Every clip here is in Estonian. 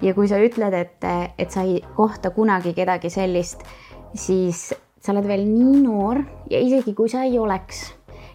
ja kui sa ütled, et sa ei kohta kunagi kedagi sellist, siis sa oled veel nii noor ja isegi kui sa ei oleks,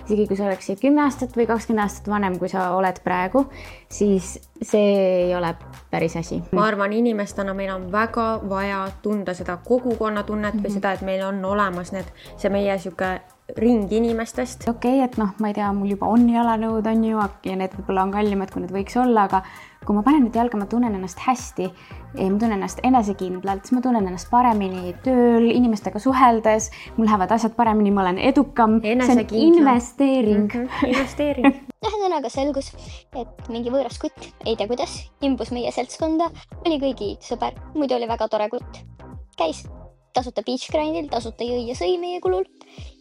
isegi kui sa oleksid 10 aastat või 20 aastat vanem, kui sa oled praegu, siis see ei ole päris asi. Ma arvan, inimestena meil on väga vaja tunda seda kogukonnatunnet või seda, et meil on olemas see meie siuke ring inimestest. Okei, et ma ei tea, mul juba on jalanõud, on ju, ja need võib-olla on kallimad, kui need võiks olla, aga kui ma panen nüüd jalga, ma tunnen ennast hästi, ma tunnen ennast enesekindlalt, siis ma tunnen ennast paremini tööl, inimestega suheldes, mul lähevad asjad paremini, ma olen edukam. See on investeering. Investeering. Ühesõnaga selgus, et mingi võõras kutt, ei tea kuidas, imbus meie seltskonda, oli kõigi sõber, muidu oli väga tore kutt. Käis tasuta beach grindil, tasuta jõi ja sõi meie kulul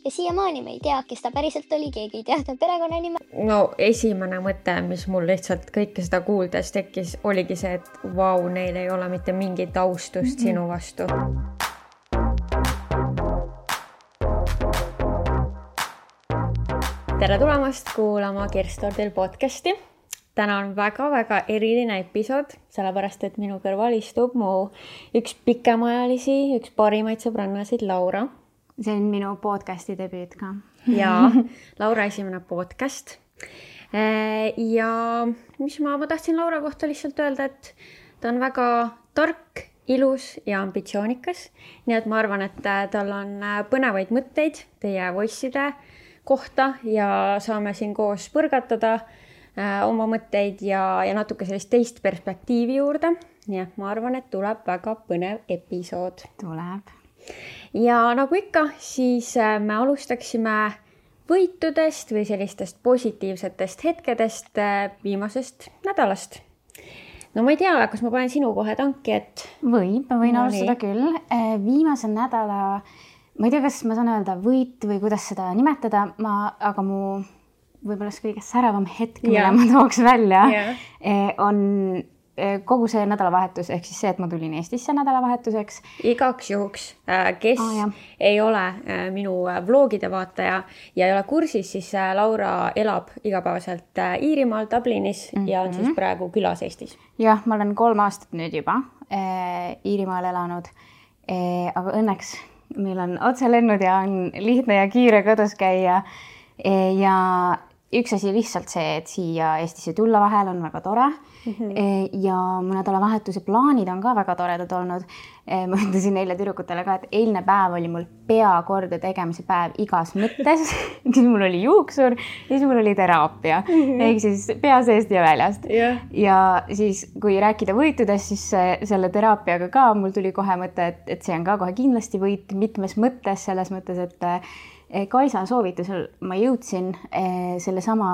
ja siiamaani me ei tea, kes ta päriselt oli, keegi ei tea ta perekonnanime. No esimene mõte, mis mul lihtsalt kõike seda kuuldes tekkis, oligi see, et vau, neil ei ole mitte mingit austust sinu vastu. Tere tulemast kuulama Kerstordil podcasti. Täna on väga-väga eriline episood, sellepärast, et minu kõrval istub mu üks pikemaajalisi, üks parimaid sõbrannasid, Laura. See on minu podcasti debüüt ka. Ja Laura esimene podcast. Ja mis ma tahtsin Laura kohta lihtsalt öelda, et ta on väga tark, ilus ja ambitsioonikas. Nii et ma arvan, et tal on põnevaid mõtteid teie voice'ide kohta ja saame siin koos põrgatada oma mõtteid ja natuke sellist teist perspektiivi juurde. Nii et ma arvan, et tuleb väga põnev episood. Tuleb. Ja nagu ikka, siis me alustaksime võitudest või sellistest positiivsetest hetkedest viimasest nädalast. No ma ei tea, kas ma panen sinu kohe tanki, et... ma võin alustada küll. Viimase nädala, ma ei tea, kas ma saan öelda võit või kuidas seda nimetada, aga mu võib-olla kõige säravam hetk, mille ma tooks välja, on kogu see nädalavahetus, ehk siis see, et ma tulin Eestisse nädalavahetuseks. Igaks juhuks, kes ei ole minu vlogide vaataja ja ei ole kursis, siis Laura elab igapäevaselt Iirimaal, Dublinis ja on siis praegu külas Eestis. Jah, ma olen 3 aastat nüüd juba Iirimaal elanud, aga õnneks meil on otselennud ja on lihtne ja kiire kodus käia ja üks asi lihtsalt see, et siia Eestisse tulla vahel on väga tore ja mu nädalavahetuse plaanid on ka väga toredad olnud. Ma ütlesin neile tüdrukutele ka, et eilne päev oli mul pea korda tegemise päev igas mõttes. Siis mul oli juuksur ja siis mul oli teraapia. Ehk siis pea seest ja väljast. Ja siis kui rääkida võitudest, siis selle teraapiaga ka mul tuli kohe mõte, et see on ka kohe kindlasti võit mitmes mõttes, selles mõttes, et Kaisa soovitusel ma jõudsin sellesama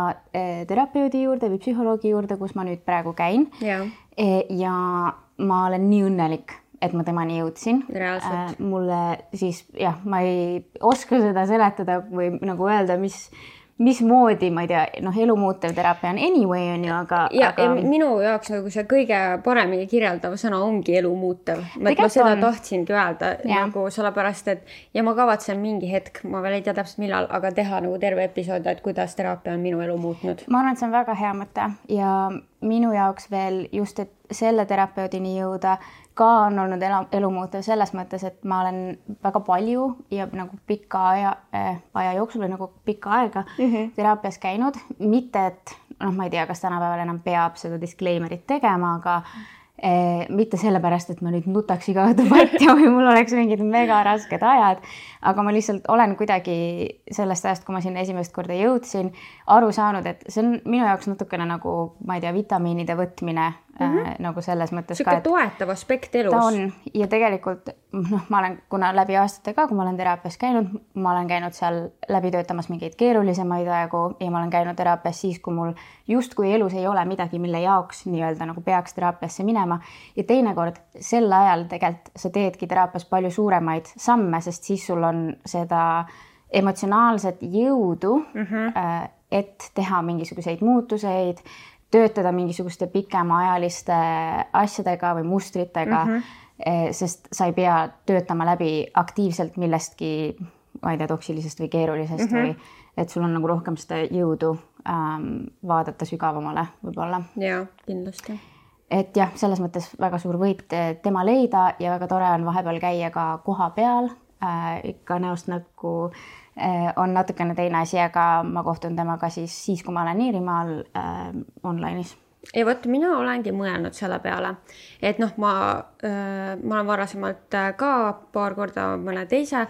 terapeudi juurde või psühholoogi juurde, kus ma nüüd praegu käin. Ja ma olen nii õnnelik, et ma temani jõudsin. Reaalselt. Mulle siis, ma ei oska seda seletada või nagu öelda, mismoodi, ma ei tea, elumuutev teraapia on anyway, on ju, aga... Minu jaoks nagu see kõige paremini kirjeldav sõna ongi elumuutev. Ma seda tahtsingi öelda, nagu sellepärast, et ja ma kavatsen mingi hetk, ma veel ei tea täpselt millal, aga teha nagu terve episood, et kuidas teraapia on minu elu muutnud. Ma arvan, et see on väga hea mõte ja minu jaoks veel just, et selle terapeudini jõuda ka on olnud elumuutev selles mõttes, et ma olen väga palju ja nagu pika aja jooksul või nagu pikka aega teraapias käinud. Mitte, et ma ei tea, kas tänapäeval enam peab seda disclaimerit tegema, aga mitte sellepärast, et ma nüüd nutaks iga õhtu patja või mul oleks mingid mega rasked ajad, aga ma lihtsalt olen kuidagi sellest ajast, kui ma sinna esimest korda jõudsin, aru saanud, et see on minu jaoks natukene nagu, ma ei tea, vitamiinide võtmine nagu selles mõttes ka, et toetav aspekt elus. Ta on ja tegelikult ma olen, kuna läbi aastate ka, kui ma olen teraapias käinud, ma olen käinud seal läbi töötamas mingeid keerulisemaid aegu ja ma olen käinud teraapias siis, kui mul just kui elus ei ole midagi, mille jaoks nii-öelda nagu peaks teraapiasse minema ja teinekord sel ajal tegelikult sa teedki teraapias palju suuremaid samme, sest siis sul on seda emotsionaalset jõudu, et teha mingisuguseid muutuseid, töötada mingisuguste pikemaajaliste asjadega või mustritega, sest sa ei pea töötama läbi aktiivselt millestki, ma ei tea, toksilisest või keerulisest või et sul on nagu rohkem seda jõudu vaadata sügavamale võib-olla. Jaa, kindlasti. et jah, selles mõttes väga suur võit tema leida ja väga tore on vahepeal käia ka koha peal. Ikka näost näkku on natukene teine asi, aga ma kohtun temaga siis kui ma olen Iirimaal online'is. Ja vot mina olengi mõelnud selle peale, et noh, ma olen varasemalt ka paar korda mõne teise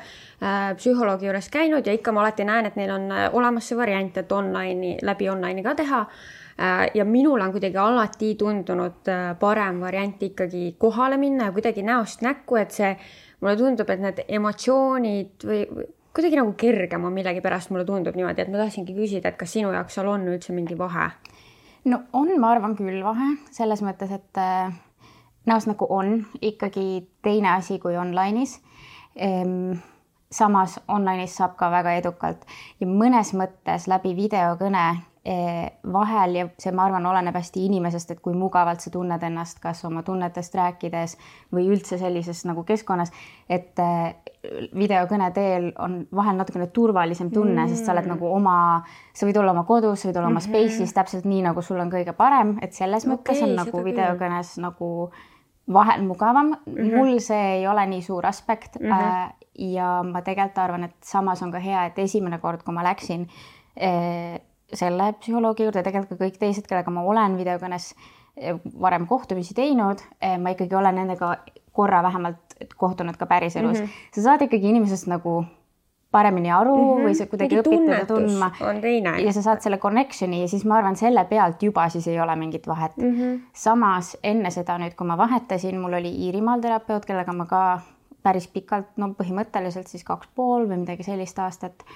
psühholoogi juures käinud ja ikka ma alati näen, et neil on olemas see variant, et läbi online'i ka teha. Ja minul on kuidagi alati tundunud parem variant ikkagi kohale minna ja kuidagi näost näkku, et see mulle tundub, et need emotsioonid või kuidagi nagu kergem on millegi pärast mulle tundub niimoodi, et ma tahtsingi küsida, et kas sinu jaoks seal on üldse mingi vahe? No on, ma arvan küll vahe, selles mõttes, et näost nagu on ikkagi teine asi kui online'is. Samas online'is saab ka väga edukalt ja mõnes mõttes läbi videokõne vahel ja see, ma arvan, oleneb hästi inimesest, et kui mugavalt sa tunned ennast, kas oma tunnetest rääkides või üldse sellises nagu keskkonnas, et videokõne teel on vahel natukene turvalisem tunne, sest sa oled nagu sa võid olla oma kodus, sa võid olla oma space'is täpselt nii, nagu sul on kõige parem, et selles mõttes on nagu videokõnes nagu vahel mugavam. Mul see ei ole nii suur aspekt ja ma tegelikult arvan, et samas on ka hea, et esimene kord, kui ma läksin selle psühholoogi juurde, tegelikult ka kõik teised, kellega ma olen videokõnes varem kohtumisi teinud, ma ikkagi olen nendega korra vähemalt kohtunud ka päriselus. Sa saad ikkagi inimesest nagu paremini aru või sa kuidagi õpid teda tundma ja sa saad selle connectioni ja siis ma arvan, selle pealt juba siis ei ole mingit vahet. Samas enne seda nüüd, kui ma vahetasin, mul oli Iirimaal terapeut, kellega ma ka päris pikalt, no põhimõtteliselt siis 2,5 või midagi sellist aastat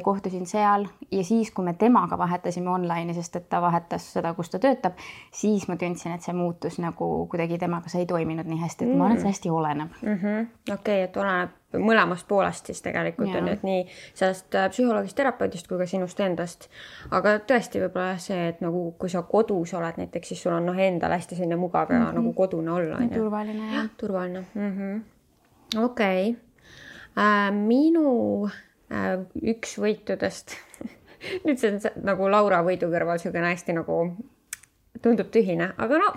kohtusin seal ja siis, kui me temaga vahetasime online'i, sest et ta vahetas seda, kus ta töötab, siis ma tundsin, et see muutus nagu kuidagi temaga see ei toiminud nii hästi, et ma arvan, et see hästi oleneb. Okei, et oleneb mõlemast poolest siis tegelikult on nüüd nii sellest psühholoogist, terapeudist kui ka sinust endast. Aga tõesti võib-olla see, et nagu kui sa kodus oled näiteks, siis sul on endal hästi selline mugav ja nagu kodune olla. Turvaline. Turvaline. Okei. Minu üks võitudest, nüüd see on nagu Laura võidu kõrval selline hästi nagu tundub tühine, aga no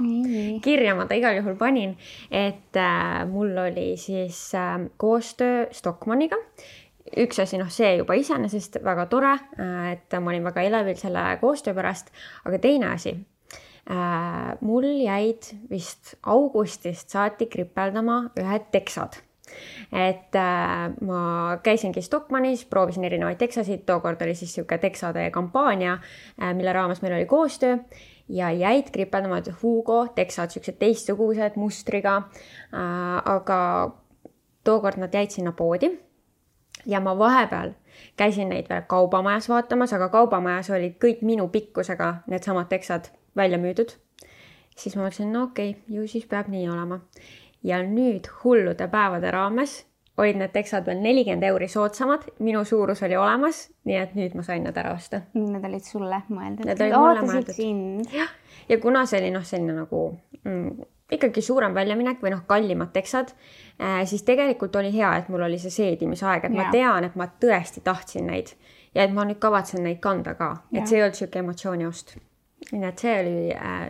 kirja ma ta igal juhul panin, et mul oli siis koostöö Stockmanniga. Üks asi, see juba iseenesest väga tore, et ma olin väga elevil selle koostöö pärast, aga teine asi, mul jäid vist augustist saati kripeldama ühed teksad. Et ma käisingi Stockmannis, proovisin erinevaid teksasid, tookord oli siis siuke teksade kampaania, mille raames meil oli koostöö ja jäid kripeldama Hugo teksad, siuksed teistsugused mustriga, aga tookord nad jäid sinna poodi ja ma vahepeal käisin neid veel kaubamajas vaatamas, aga kaubamajas olid kõik minu pikkusega need samad teksad välja müüdud. Siis ma mõtlesin, no okei, ju siis peab nii olema. Ja nüüd hullude päevade raames olid need teksad veel 40 € soodsamad. Minu suurus oli olemas, nii et nüüd ma sain need ära osta. Need olid sulle mõeldud. Need olid mulle mõeldud. Ja kuna see oli selline nagu ikkagi suurem väljaminek või kallimad teksad, siis tegelikult oli hea, et mul oli see seedimisaeg, et ma tean, et ma tõesti tahtsin neid ja et ma nüüd kavatsen neid kanda ka. Et see ei olnud siuke emotsiooniost. Nii et see oli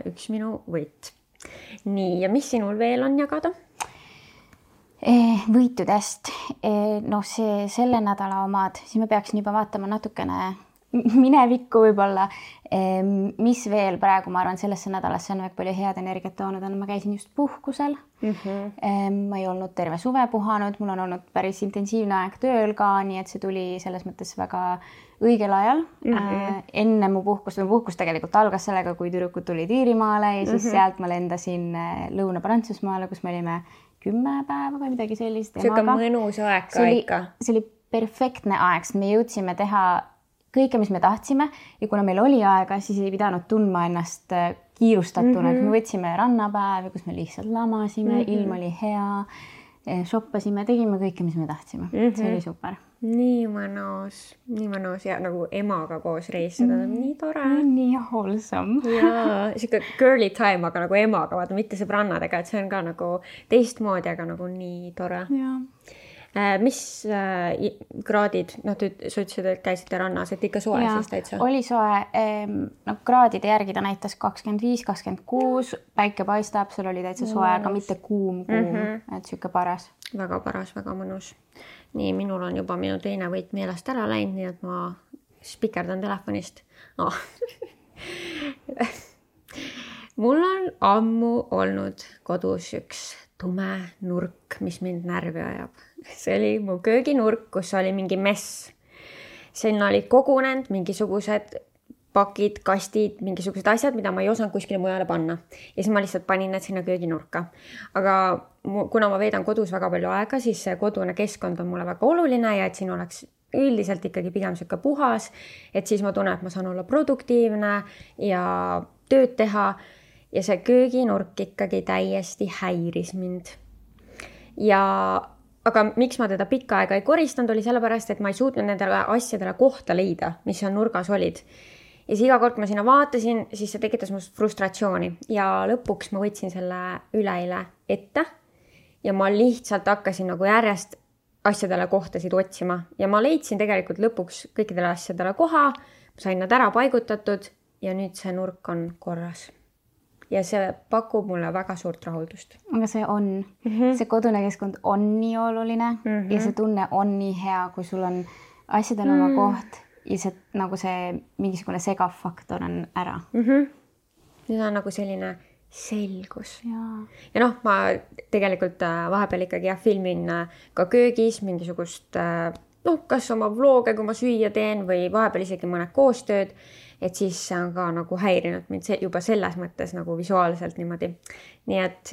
üks minu võit. Nii, ja mis sinul veel on jagada? Võitudest. Selle nädala omad, siis me peaksin juba vaatama natukene minevikku võib-olla. Mis veel praegu, ma arvan, sellesse nädalasse on väga palju head energiat toonud, ma käisin just puhkusel. Ma ei olnud terve suve puhanud, mul on olnud päris intensiivne aeg tööl ka, nii et see tuli selles mõttes väga õigel ajal. Enne mu puhkus tegelikult algas sellega, kui tüdrukud tulid Iirimaale ja siis sealt ma lendasin Lõuna-Prantsusmaale, kus me olime 10 päeva või midagi sellist. See on mõnus aeg ka ikka. See oli perfektne aeg, sest me jõudsime teha kõike, mis me tahtsime ja kuna meil oli aega, siis ei pidanud tundma ennast kiirustatuna. Me võtsime rannapäevi, kus me lihtsalt lamasime, ilm oli hea, shoppasime, tegime kõike, mis me tahtsime. See oli super. Nii mõnus ja nagu emaga koos reisida, nii tore. Nii wholesome. Ja siuke girly time, aga nagu emaga, vaata mitte sõbrannadega, et see on ka nagu teistmoodi, aga nagu nii tore. Mis kraadid, sa ütlesid, et käisite rannas, et ikka soe siis täitsa? Oli soe, kraadide järgi ta näitas 25, 26, päike paistab, sul oli täitsa soe, aga mitte kuum, et siuke paras. Väga paras, väga mõnus. Nii, minul on juba minu teine võit meelest ära läinud, nii et ma spikerdan telefonist. Mul on ammu olnud kodus üks tume nurk, mis mind närvi ajab. See oli mu kööginurk, kus oli mingi mess. Sinna olid kogunenud mingisugused pakid, kastid, mingisugused asjad, mida ma ei osanud kuskile mujale panna. Ja siis ma lihtsalt panin need sinna kööginurka. Aga kuna ma veedan kodus väga palju aega, siis see kodune keskkond on mulle väga oluline ja et siin oleks üldiselt ikkagi pigem siuke puhas, et siis ma tunnen, et ma saan olla produktiivne ja tööd teha. Ja see kööginurk ikkagi täiesti häiris mind. Aga miks ma teda pikka aega ei koristanud, oli sellepärast, et ma ei suutnud nendele asjadele kohta leida, mis seal nurgas olid. Ja siis iga kord, kui ma sinna vaatasin, siis see tekitas must frustratsiooni. Ja lõpuks ma võtsin selle üleile ette ja ma lihtsalt hakkasin nagu järjest asjadele kohtasid otsima. Ja ma leidsin tegelikult lõpuks kõikidele asjadele koha, ma sain nad ära paigutatud ja nüüd see nurk on korras. Ja see pakub mulle väga suurt rahuldust. Aga see on, see kodune keskkond on nii oluline ja see tunne on nii hea, kui sul on asjadel oma koht ja see, nagu see mingisugune segav faktor on ära. Nüüd on nagu selline selgus. Ja ma tegelikult vahepeal ikkagi filmin ka köögis mingisugust, kas oma vlooge, kui ma süüa teen või vahepeal isegi mõned koostööd. Et siis see on ka nagu häirinud mind juba selles mõttes nagu visuaalselt niimoodi. Nii et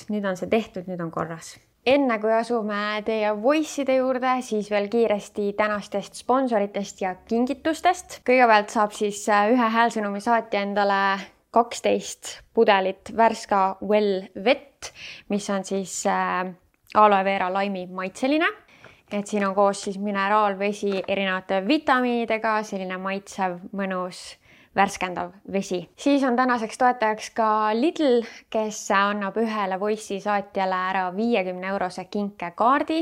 nüüd on see tehtud, nüüd on korras. Enne kui asume teie voice'ide juurde, siis veel kiiresti tänastest sponsoritest ja kingitustest. Kõigepealt saab siis ühe häälsõnumi saatja endale 12 pudelit Värska Well vett, mis on siis aloe vera laimi maitseline. Et siin on koos siis mineraalvesi erinevate vitamiinidega, selline maitsev, mõnus, värskendav vesi. Siis on tänaseks toetajaks ka Lidl, kes annab ühele voice'i saatjale ära 50 € kinkekaardi,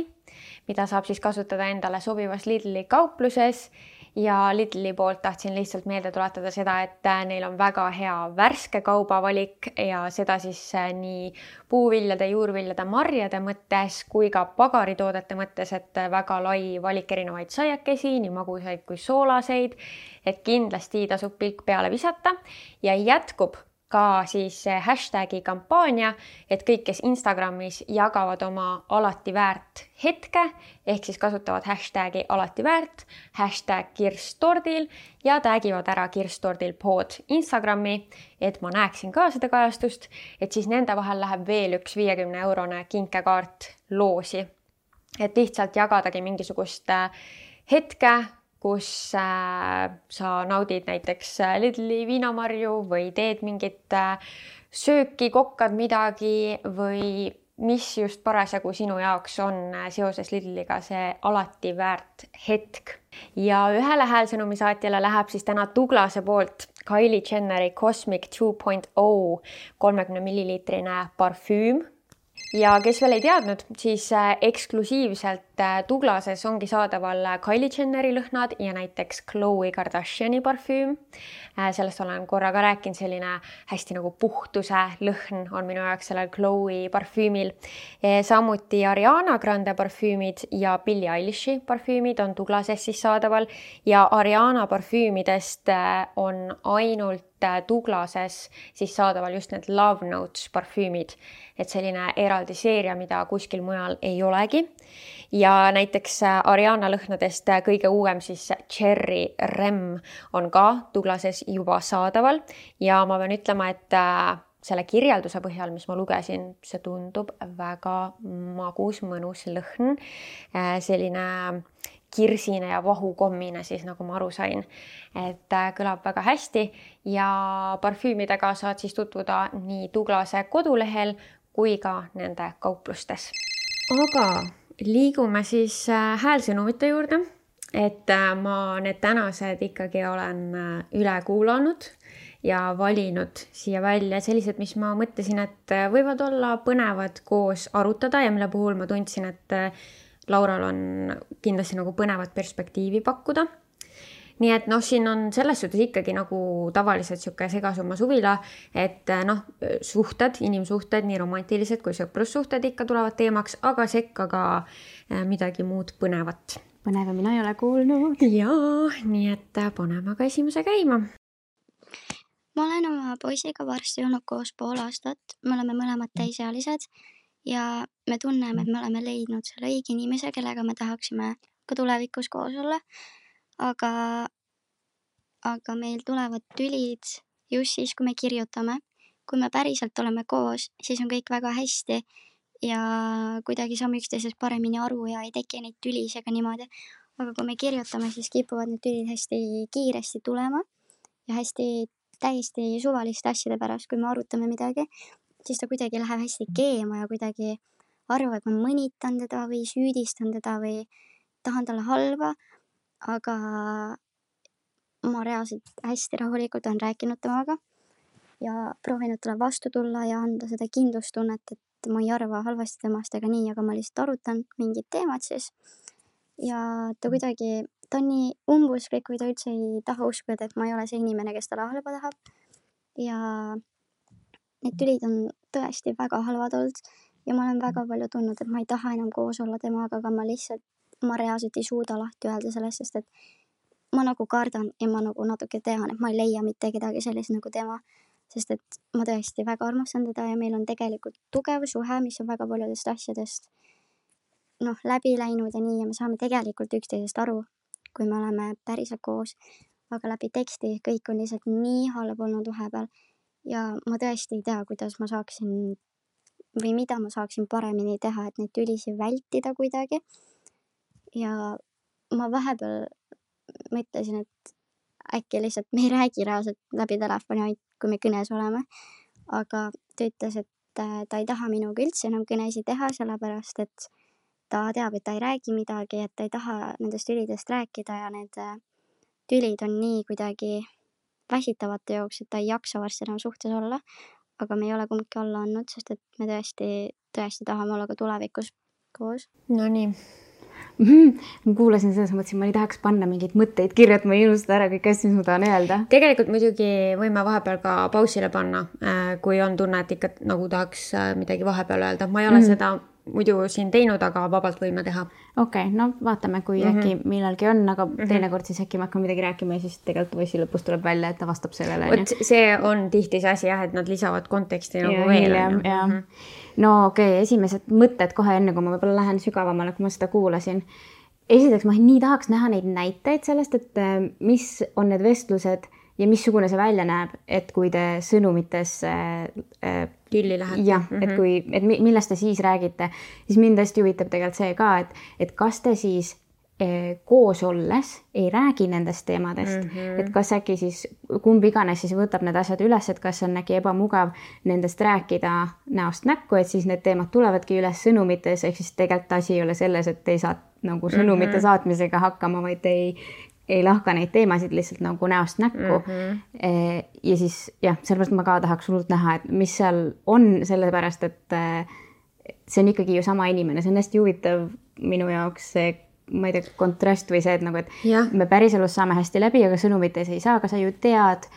mida saab siis kasutada endale sobivas Lidli kaupluses. Ja Lidli poolt tahtsin lihtsalt meelde tuletada seda, et neil on väga hea värske kaubavalik ja seda siis nii puuviljade, juurviljade, marjade mõttes kui ka pagaritoodete mõttes, et väga lai valik erinevaid saiakesi, nii magusaid kui soolaseid, et kindlasti tasub pilk peale visata ja jätkub ka siis hashtagi kampaania, et kõik, kes Instagramis jagavad oma alati väärt hetke, ehk siis kasutavad hashtagi alati väärt, hashtag kirstordil ja tagivad ära kirstordil pood Instagrami, et ma näeksin ka seda kajastust, et siis nende vahel läheb veel üks 50 € kinkekaart loosi. Et lihtsalt jagadagi mingisugust hetke, kus sa naudid näiteks Lidli viinamarju või teed mingit sööki, kokkad midagi või mis just parasjagu sinu jaoks on seoses Lidliga see alati väärt hetk. Ja ühele häälsõnumi saatjale läheb siis täna Douglase poolt Kylie Jenneri Cosmic 2.0 30 milliliitrine parfüüm. Ja kes veel ei teadnud, siis eksklusiivselt Douglases ongi saadaval Kylie Jenneri lõhnad ja näiteks Khloe Kardashiani parfüüm. Sellest olen korra ka rääkinud, selline hästi nagu puhtuse lõhn on minu jaoks sellel Khloe parfüümil. Samuti Ariana Grande parfüümid ja Billie Eilishi parfüümid on Douglases siis saadaval ja Ariana parfüümidest on ainult Douglases siis saadaval just need Love Notes parfüümid, et selline eraldi seeria, mida kuskil mujal ei olegi. Ja näiteks Ariana lõhnadest kõige uuem siis Cherry Rem on ka Douglases juba saadaval ja ma pean ütlema, et selle kirjelduse põhjal, mis ma lugesin, see tundub väga magus, mõnus lõhn, selline kirsine ja vahukommine siis, nagu ma aru sain, et kõlab väga hästi ja parfüümidega saad siis tutvuda nii Douglase kodulehel kui ka nende kauplustes. Aga liigume siis häälsõnumite juurde, et ma need tänased ikkagi olen üle kuulanud ja valinud siia välja sellised, mis ma mõtlesin, et võivad olla põnevad koos arutada ja mille puhul ma tundsin, et Laural on kindlasti nagu põnevat perspektiivi pakkuda. Nii et siin on selles suhtes ikkagi nagu tavaliselt siuke segasumma suvila, et suhted, inimsuhted, nii romantilised kui sõprussuhted ikka tulevad teemaks, aga sekka ka midagi muud põnevat. Põneva mina ei ole kuulnud. Jaa, nii et paneme ka esimese käima. Ma olen oma poisiga varsti olnud koos pool aastat. Me oleme mõlemad täisealised ja me tunneme, et me oleme leidnud selle õige inimese, kellega me tahaksime ka tulevikus koos olla. Aga meil tulevad tülid just siis, kui me kirjutame. Kui me päriselt oleme koos, siis on kõik väga hästi ja kuidagi saame üksteisest paremini aru ja ei teki neid tülis ega niimoodi. Aga kui me kirjutame, siis kipuvad need tülid hästi kiiresti tulema ja hästi täiesti suvaliste asjade pärast, kui me arutame midagi, siis ta kuidagi läheb hästi keema ja kuidagi arvab, et ma mõnitan teda või süüdistan teda või tahan talle halba, aga ma reaalselt hästi rahulikult olen rääkinud temaga ja proovinud talle vastu tulla ja anda seda kindlustunnet, et ma ei arva halvasti temast ega nii, aga ma lihtsalt arutan mingid teemad siis. Ja ta kuidagi, ta on nii umbusklik või ta üldse ei taha uskuda, et ma ei ole see inimene, kes talle halba tahab. Ja need tülid on tõesti väga halvad olnud ja ma olen väga palju tundnud, et ma ei taha enam koos olla temaga, aga ma reaalselt ei suuda lahti öelda sellest, sest et ma nagu kardan ja ma nagu natuke tean, et ma ei leia mitte kedagi sellist nagu tema, sest et ma tõesti väga armastan teda ja meil on tegelikult tugev suhe, mis on väga paljudest asjadest läbi läinud ja nii ja me saame tegelikult üksteisest aru, kui me oleme päriselt koos, aga läbi teksti kõik on lihtsalt nii halb olnud vahepeal ja ma tõesti ei tea, kuidas ma saaksin või mida ma saaksin paremini teha, et neid tülisi vältida kuidagi. Ja ma vahepeal mõtlesin, et äkki lihtsalt me ei räägi reaalselt läbi telefoni, ainult kui me kõnes oleme. Aga ta ütles, et ta ei taha minuga üldse enam kõnesi teha, sellepärast, et ta teab, et ta ei räägi midagi, et ta ei taha nendest tülidest rääkida ja need tülid on nii kuidagi väsitavate jooks, et ta ei jaksa varsti enam suhtes olla. Aga me ei ole kumbki alla andnud, sest et me tõesti tahame olla ka tulevikus koos. No nii. Ma kuulasin selles mõttes, ma ei tahaks panna mingeid mõtteid kirja, et ma ei unustada ära kõik asja, mis ma tahan öelda. Tegelikult muidugi võime vahepeal ka pausile panna, kui on tunne, et ikka nagu tahaks midagi vahepeal öelda. Ma ei ole seda muidu siin teinud, aga vabalt võime teha. Okei, no vaatame, kui äkki millalgi on, aga teinekord siis äkki ma hakkan midagi rääkima ja siis tegelikult võisi lõpus tuleb välja, et ta vastab sellele. See on tihti see asi, et nad lisavad konteksti nagu veel. No okei, esimesed mõtted kohe enne, kui ma võib-olla lähen sügavamale, kui ma seda kuulasin. Esiteks ma nii tahaks näha neid näiteid sellest, et mis on need vestlused ja missugune see välja näeb, et kui te sõnumites tülli lähete. Jah, et millest te siis räägite, siis mind hästi huvitab tegelikult see ka, et kas te siis koos olles ei räägi nendest teemadest, et kas äkki siis kumb iganes siis võtab need asjad üles, et kas on äkki ebamugav nendest rääkida näost näkku, et siis need teemad tulevadki üles sõnumites, ehk siis tegelikult asi ei ole selles, et ei saa nagu sõnumite saatmisega hakkama, vaid ei lahka neid teemasid lihtsalt nagu näost näkku. Ja siis jah, sellepärast ma ka tahaks hullult näha, et mis seal on, sellepärast, et see on ikkagi ju sama inimene, see on hästi huvitav minu jaoks see, ma ei tea, kontrast või see, et nagu, et me päriselus saame hästi läbi, aga sõnumites ei saa, aga sa ju tead,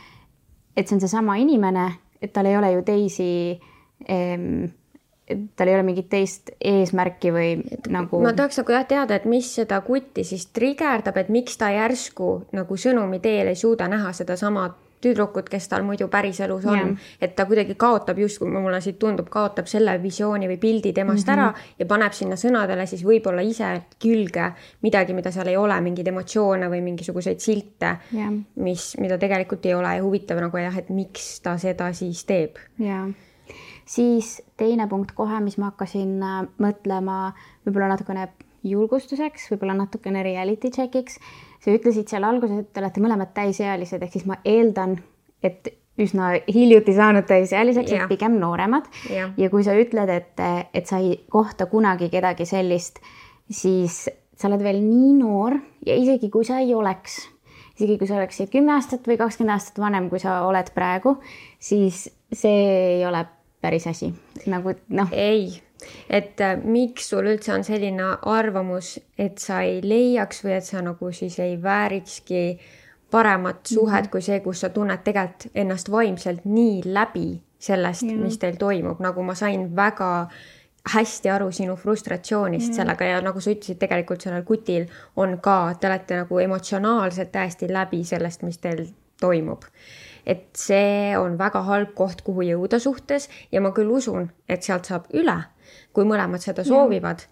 et see on see sama inimene, et tal ei ole ju teisi, tal ei ole mingit teist eesmärki või nagu... Ma tahaks nagu teada, et mis seda kutti siis trigerdab, et miks ta järsku nagu sõnumi teel ei suuda näha seda sama tüdrukut, kes tal muidu päriselus on. Et ta kuidagi kaotab, just kui mulle siit tundub, kaotab selle visiooni või pildi temast ära ja paneb sinna sõnadele siis võib-olla ise külge midagi, mida seal ei ole, mingid emotsioone või mingisuguseid silte, mida tegelikult ei ole ja huvitav nagu jah, et miks ta seda siis teeb. Ja. Siis teine punkt kohe, mis ma hakkasin mõtlema võib-olla natukene julgustuseks, võib-olla natukene reality checkiks. Sa ütlesid seal alguses, et te olete mõlemad täisealised, ehk siis ma eeldan, et üsna hiljuti saanud täisealiseks, et pigem nooremad. Ja kui sa ütled, et sa ei kohta kunagi kedagi sellist, siis sa oled veel nii noor ja isegi kui sa ei oleks, isegi kui sa oleks 10 aastat või 20 aastat vanem, kui sa oled praegu, siis see ei ole päris asi, nagu noh. Ei, et miks sul üldse on selline arvamus, et sa ei leiaks või et sa nagu siis ei väärikski paremat suhet kui see, kus sa tunned tegelikult ennast vaimselt nii läbi sellest, mis teil toimub, nagu ma sain väga hästi aru sinu frustratsioonist sellega ja nagu sa ütlesid, tegelikult sellel kutil on ka, te olete nagu emotsionaalselt täiesti läbi sellest, mis teil toimub. Et see on väga halb koht, kuhu jõuda suhtes ja ma küll usun, et sealt saab üle, kui mõlemad seda soovivad.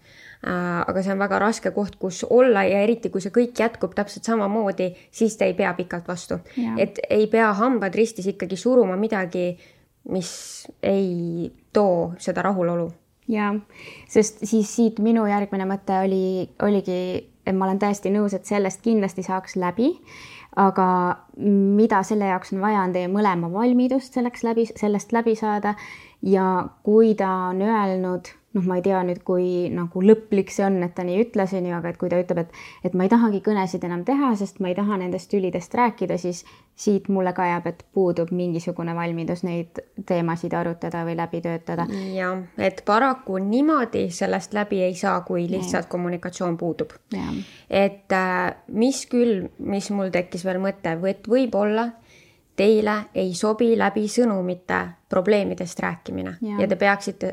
Aga see on väga raske koht, kus olla ja eriti, kui see kõik jätkub täpselt samamoodi, siis te ei pea pikalt vastu. Et ei pea hambad ristis ikkagi suruma midagi, mis ei too seda rahulolu. Ja, sest siis siit minu järgmine mõte oligi, et ma olen täiesti nõus, et sellest kindlasti saaks läbi, aga mida selle jaoks on vaja, on teie mõlema valmidust sellest läbi saada ja kui ta on öelnud, noh, ma ei tea nüüd, kui nagu lõplik see on, et ta nii ütles, aga et kui ta ütleb, et ma ei tahagi kõnesid enam teha, sest ma ei taha nendest tülidest rääkida, siis siit mulle ka jääb, et puudub mingisugune valmidus neid teemasid arutada või läbi töötada. Ja, et paraku niimoodi sellest läbi ei saa, kui lihtsalt kommunikatsioon puudub. Et mis mul tekkis veel mõte, et võib-olla teile ei sobi läbi sõnumite probleemidest rääkimine ja te peaksite,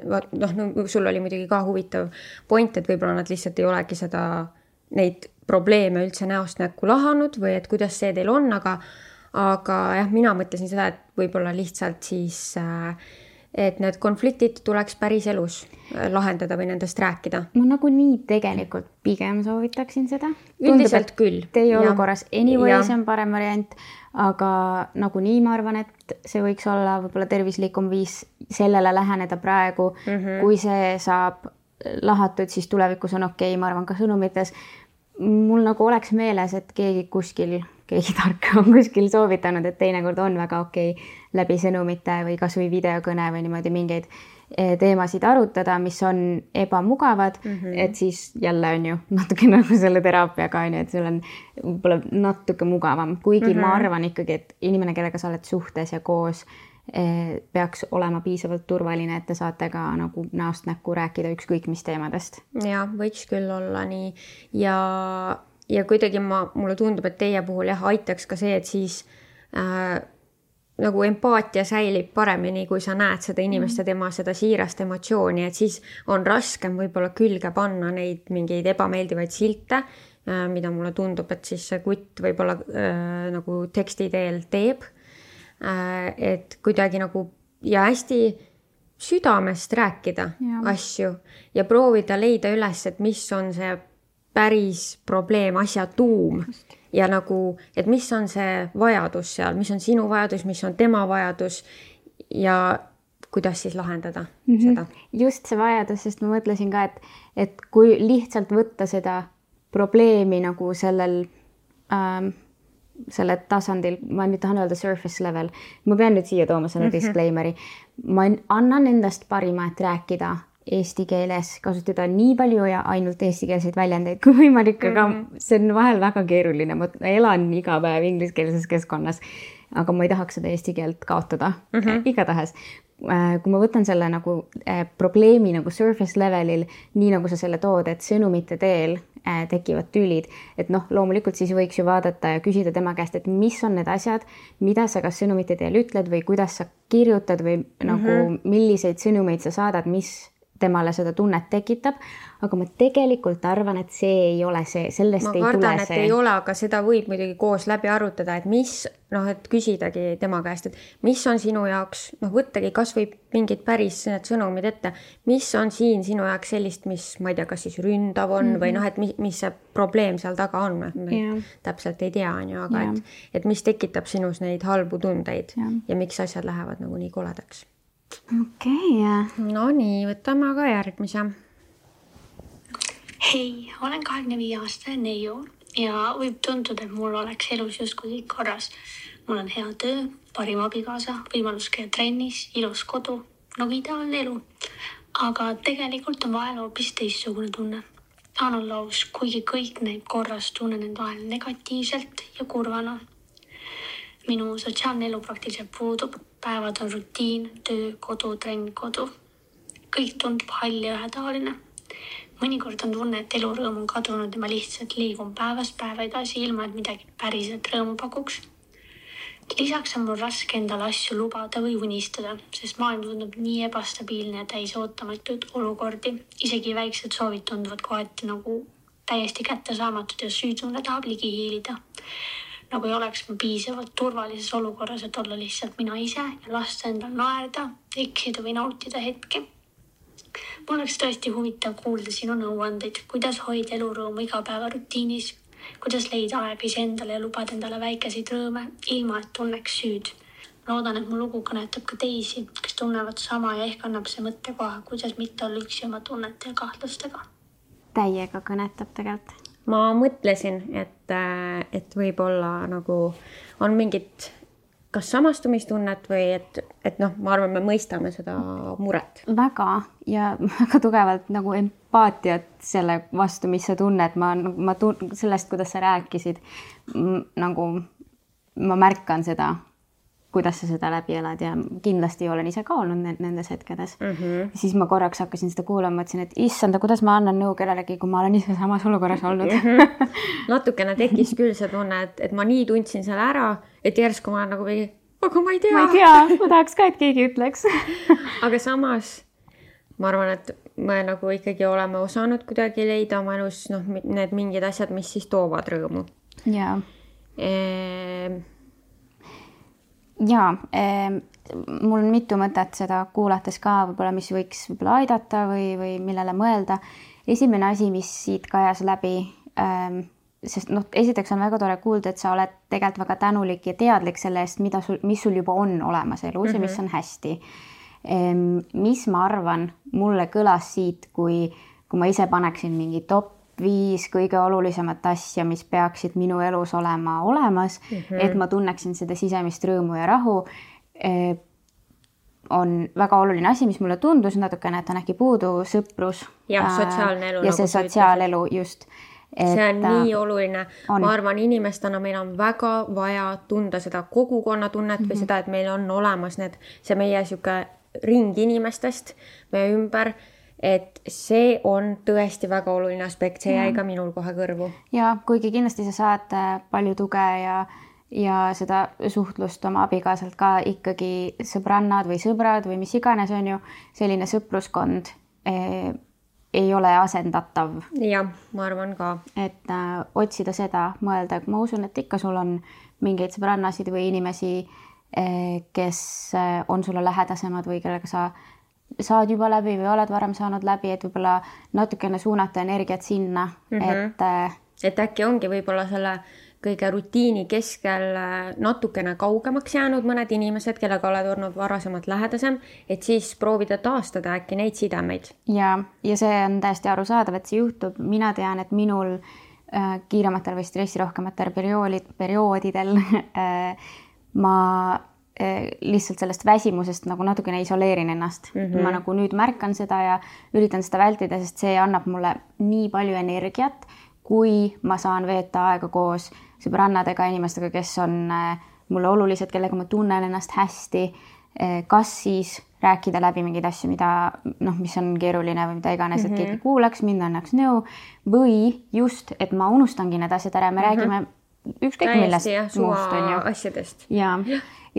sul oli muidugi ka huvitav point, et võib-olla nad lihtsalt ei olegi neid probleeme üldse näost näkku lahanud või et kuidas see teil on, aga jah, mina mõtlesin seda, et võib-olla lihtsalt siis, et need konfliktid tuleks päris elus lahendada või nendest rääkida. Ma nagu nii tegelikult pigem soovitaksin seda. Üldiselt küll. Teie olukorras anyways on parem variant, aga nagu nii ma arvan, et see võiks olla võib-olla tervislikum viis sellele läheneda praegu. Kui see saab lahatud, siis tulevikus on okei, ma arvan ka sõnumites. Mul nagu oleks meeles, et keegi tark on kuskil soovitanud, et teinekord on väga okei läbi sõnumite või kas või videokõne või niimoodi mingeid teemasid arutada, mis on ebamugavad, et siis jälle on ju natuke nagu selle teraapiaga, et sul on võib-olla natuke mugavam. Kuigi ma arvan ikkagi, et inimene, kellega sa oled suhtes ja koos, peaks olema piisavalt turvaline, et te saate ka nagu näost näkku rääkida ükskõik mis teemadest. Ja, võiks küll olla nii. Ja kuidagi mulle tundub, et teie puhul aitaks ka see, et siis nagu empaatia säilib paremini, kui sa näed seda inimest ja tema seda siirast emotsiooni, et siis on raskem võib-olla külge panna neid mingeid ebameeldivaid silte, mida mulle tundub, et siis see kutt võib-olla nagu teksti teel teeb. Et kuidagi nagu ja hästi südamest rääkida asju ja proovida leida üles, et mis on see päris probleem, asja tuum ja nagu, et mis on see vajadus seal, mis on sinu vajadus, mis on tema vajadus ja kuidas siis lahendada seda. Just see vajadus, sest ma mõtlesin ka, et kui lihtsalt võtta seda probleemi nagu selle tasandil, ma nüüd tahan öelda surface level, ma pean nüüd siia tooma selle disclaimeri, ma annan endast parima, et rääkida eesti keeles, kasutada nii palju ja ainult eestikeelseid väljendeid kui võimalik, aga see on vahel väga keeruline, ma elan iga päev ingliskeelses keskkonnas, aga ma ei tahaks seda eesti keelt kaotada igatahes. Kui ma võtan selle nagu probleemi nagu surface levelil, nii nagu sa selle tood, et sõnumite teel tekivad tülid, et loomulikult siis võiks ju vaadata ja küsida tema käest, et mis on need asjad, mida sa kas sõnumite teel ütled või kuidas sa kirjutad või nagu milliseid sõnumeid sa saadad, mis temale seda tunnet tekitab, aga ma tegelikult arvan, et see ei ole see, sellest ei tule see. Ma kardan, et ei ole, aga seda võib muidugi koos läbi arutada, et et küsidagi tema käest, et mis on sinu jaoks, võttagi kas või mingid päris need sõnumid ette, mis on siin sinu jaoks sellist, mis ma ei tea, kas siis ründav on või et mis see probleem seal taga on, täpselt ei tea, aga et mis tekitab sinus neid halbu tundeid ja miks asjad lähevad nagu nii koledaks. Okei. No nii, võtame aga järgmise. Hei, olen 25-aastane neiu ja võib tunduda, et mul oleks elus justkui kõik korras. Mul on hea töö, parim abikaasa, võimalus käia trennis, ilus kodu, nagu ideaalne elu. Aga tegelikult on vahel hoopis teistsugune tunne. Tahan olla aus, kuigi kõik näib korras, tunnen end vahel negatiivselt ja kurvana. minu sotsiaalne elu praktiliselt puudub. Päevad on rutiin, töö, kodu, trenn, kodu. Kõik tundub hall ja ühetaoline. Mõnikord on tunne, et elurõõm on kadunud ja ma lihtsalt liigun päevast päeva edasi ilma, et midagi päriselt rõõmu pakuks. Lisaks on mul raske endale asju lubada või unistada, sest maailm tundub nii ebastabiilne ja täis ootamatuid olukordi. Isegi väiksed soovid tunduvad kohati nagu täiesti kättesaamatud ja süütunne tahab ligi hiilida. Nagu ei oleks ma piisavalt turvalises olukorras, et olla lihtsalt mina ise ja lasta endal naerda, eksida või nautida hetki. Mul oleks tõesti huvitav kuulda sinu nõuandeid, kuidas hoida elurõõmu igapäeva rutiinis, kuidas leida aeg iseendale ja lubada endale väikeseid rõõme, ilma et tunneks süüd. Loodan, et mu lugu kõnetab ka teisi, kes tunnevad sama ja ehk annab see mõttekoha, kuidas mitte olla üksi oma tunnete ja kahtlustega. Täiega kõnetab tegelikult. Ma mõtlesin, et võib-olla nagu on mingit kas samastumistunnet või et ma arvan, me mõistame seda muret. Väga ja väga tugevalt nagu empaatiat selle vastu, mis sa tunned. Sellest, kuidas sa rääkisid, nagu ma märkan seda, kuidas sa seda läbi elad ja kindlasti olen ise ka olnud nendes hetkedes. Siis ma korraks hakkasin seda kuulama, mõtlesin, et issanda, kuidas ma annan nõu kellelegi, kui ma olen ise samas olukorras olnud. Natukene tekkis küll see tunne, et ma nii tundsin selle ära, et järsku ma olen nagu või, aga ma ei tea. Ma tahaks ka, et keegi ütleks. Aga samas ma arvan, et me nagu ikkagi oleme osanud kuidagi leida oma elus need mingid asjad, mis siis toovad rõõmu. Jaa. Jaa, mul on mitu mõtet seda kuulates ka, võib-olla mis võiks aidata või millele mõelda. Esimene asi, mis siit kajas läbi, sest esiteks on väga tore kuulda, et sa oled tegelikult väga tänulik ja teadlik selle eest, mis sul juba on olemas elus ja mis on hästi. Mis ma arvan, mulle kõlas siit, kui ma ise paneksin mingi top 5 kõige olulisemat asja, mis peaksid minu elus olema olemas, et ma tunneksin seda sisemist rõõmu ja rahu, on väga oluline asi, mis mulle tundus natukene, et on äkki puudu sõprus. Ja sotsiaalne elu. Ja see sotsiaalelu just. See on nii oluline. Ma arvan, inimestena meil on väga vaja tunda seda kogukonna tunnet või seda, et meil on olemas see meie siuke ring inimestest meie ümber, et see on tõesti väga oluline aspekt, see jäi ka minul kohe kõrvu. Ja kuigi kindlasti sa saad palju tuge ja seda suhtlust oma abikaasalt ka ikkagi sõbrannad või sõbrad või mis iganes on ju, selline sõpruskond ei ole asendatav. Jah, ma arvan ka. Et otsida seda, mõelda, ma usun, et ikka sul on mingeid sõbrannasid või inimesi, kes on sulle lähedasemad või kellega sa saad juba läbi või oled varem saanud läbi, et võib-olla natukene suunata energiat sinna, et äkki ongi võib-olla selle kõige rutiini keskel natukene kaugemaks jäänud mõned inimesed, kellega oled olnud varasemalt lähedasem, et siis proovida taastada äkki neid sidemeid. Ja see on täiesti arusaadav, et see juhtub. Mina tean, et minul kiirematel või stressirohkematel perioodidel ma lihtsalt sellest väsimusest nagu natukene isoleerin ennast. Ma nagu nüüd märkan seda ja üritan seda vältida, sest see annab mulle nii palju energiat, kui ma saan veeta aega koos sõbrannadega, inimestega, kes on mulle olulised, kellega ma tunnen ennast hästi, kas siis rääkida läbi mingeid asju, mis on keeruline või mida iganes, et keegi kuulaks, mind annaks nõu või just, et ma unustangi need asjad ära, me räägime ükskõik millest muust on ju. Asjadest. Ja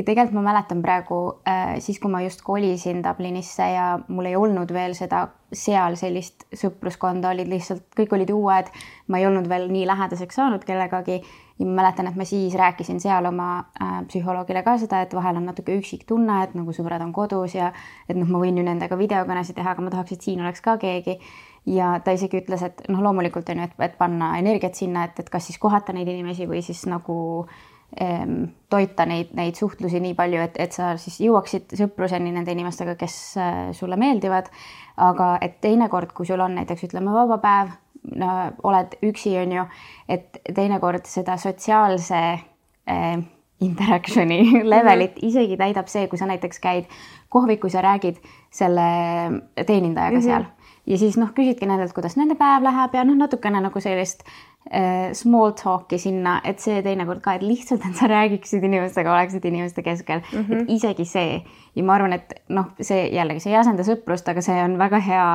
tegelikult ma mäletan praegu, siis kui ma just kolisin Dublinisse ja mul ei olnud veel seal sellist sõpruskonda, olid lihtsalt, kõik olid uued, ma ei olnud veel nii lähedaseks saanud kellegagi ja ma mäletan, et ma siis rääkisin seal oma psühholoogile ka seda, et vahel on natuke üksik tunne, et nagu sõbrad on kodus ja et ma võin ju nendega videokõnesid teha, aga ma tahaks, et siin oleks ka keegi. Ja ta isegi ütles, et loomulikult on ju, et panna energiat sinna, et kas siis kohata neid inimesi või siis nagu toita neid suhtlusi nii palju, et sa siis jõuaksid sõpruseni nende inimestega, kes sulle meeldivad. Aga et teinekord, kui sul on näiteks ütleme vaba päev, oled üksi on ju, et teinekord seda sotsiaalse interactioni levelit isegi täidab see, kui sa näiteks käid kohvikus ja räägid selle teenindajaga seal. ja siis küsidki nendelt, kuidas nende päev läheb ja natukene nagu sellist small talk'i sinna, et see teinekord ka, et lihtsalt, et sa räägiksid inimestega, oleksid inimeste keskel, et isegi see. Ja ma arvan, et see jällegi, see ei asenda sõprust, aga see on väga hea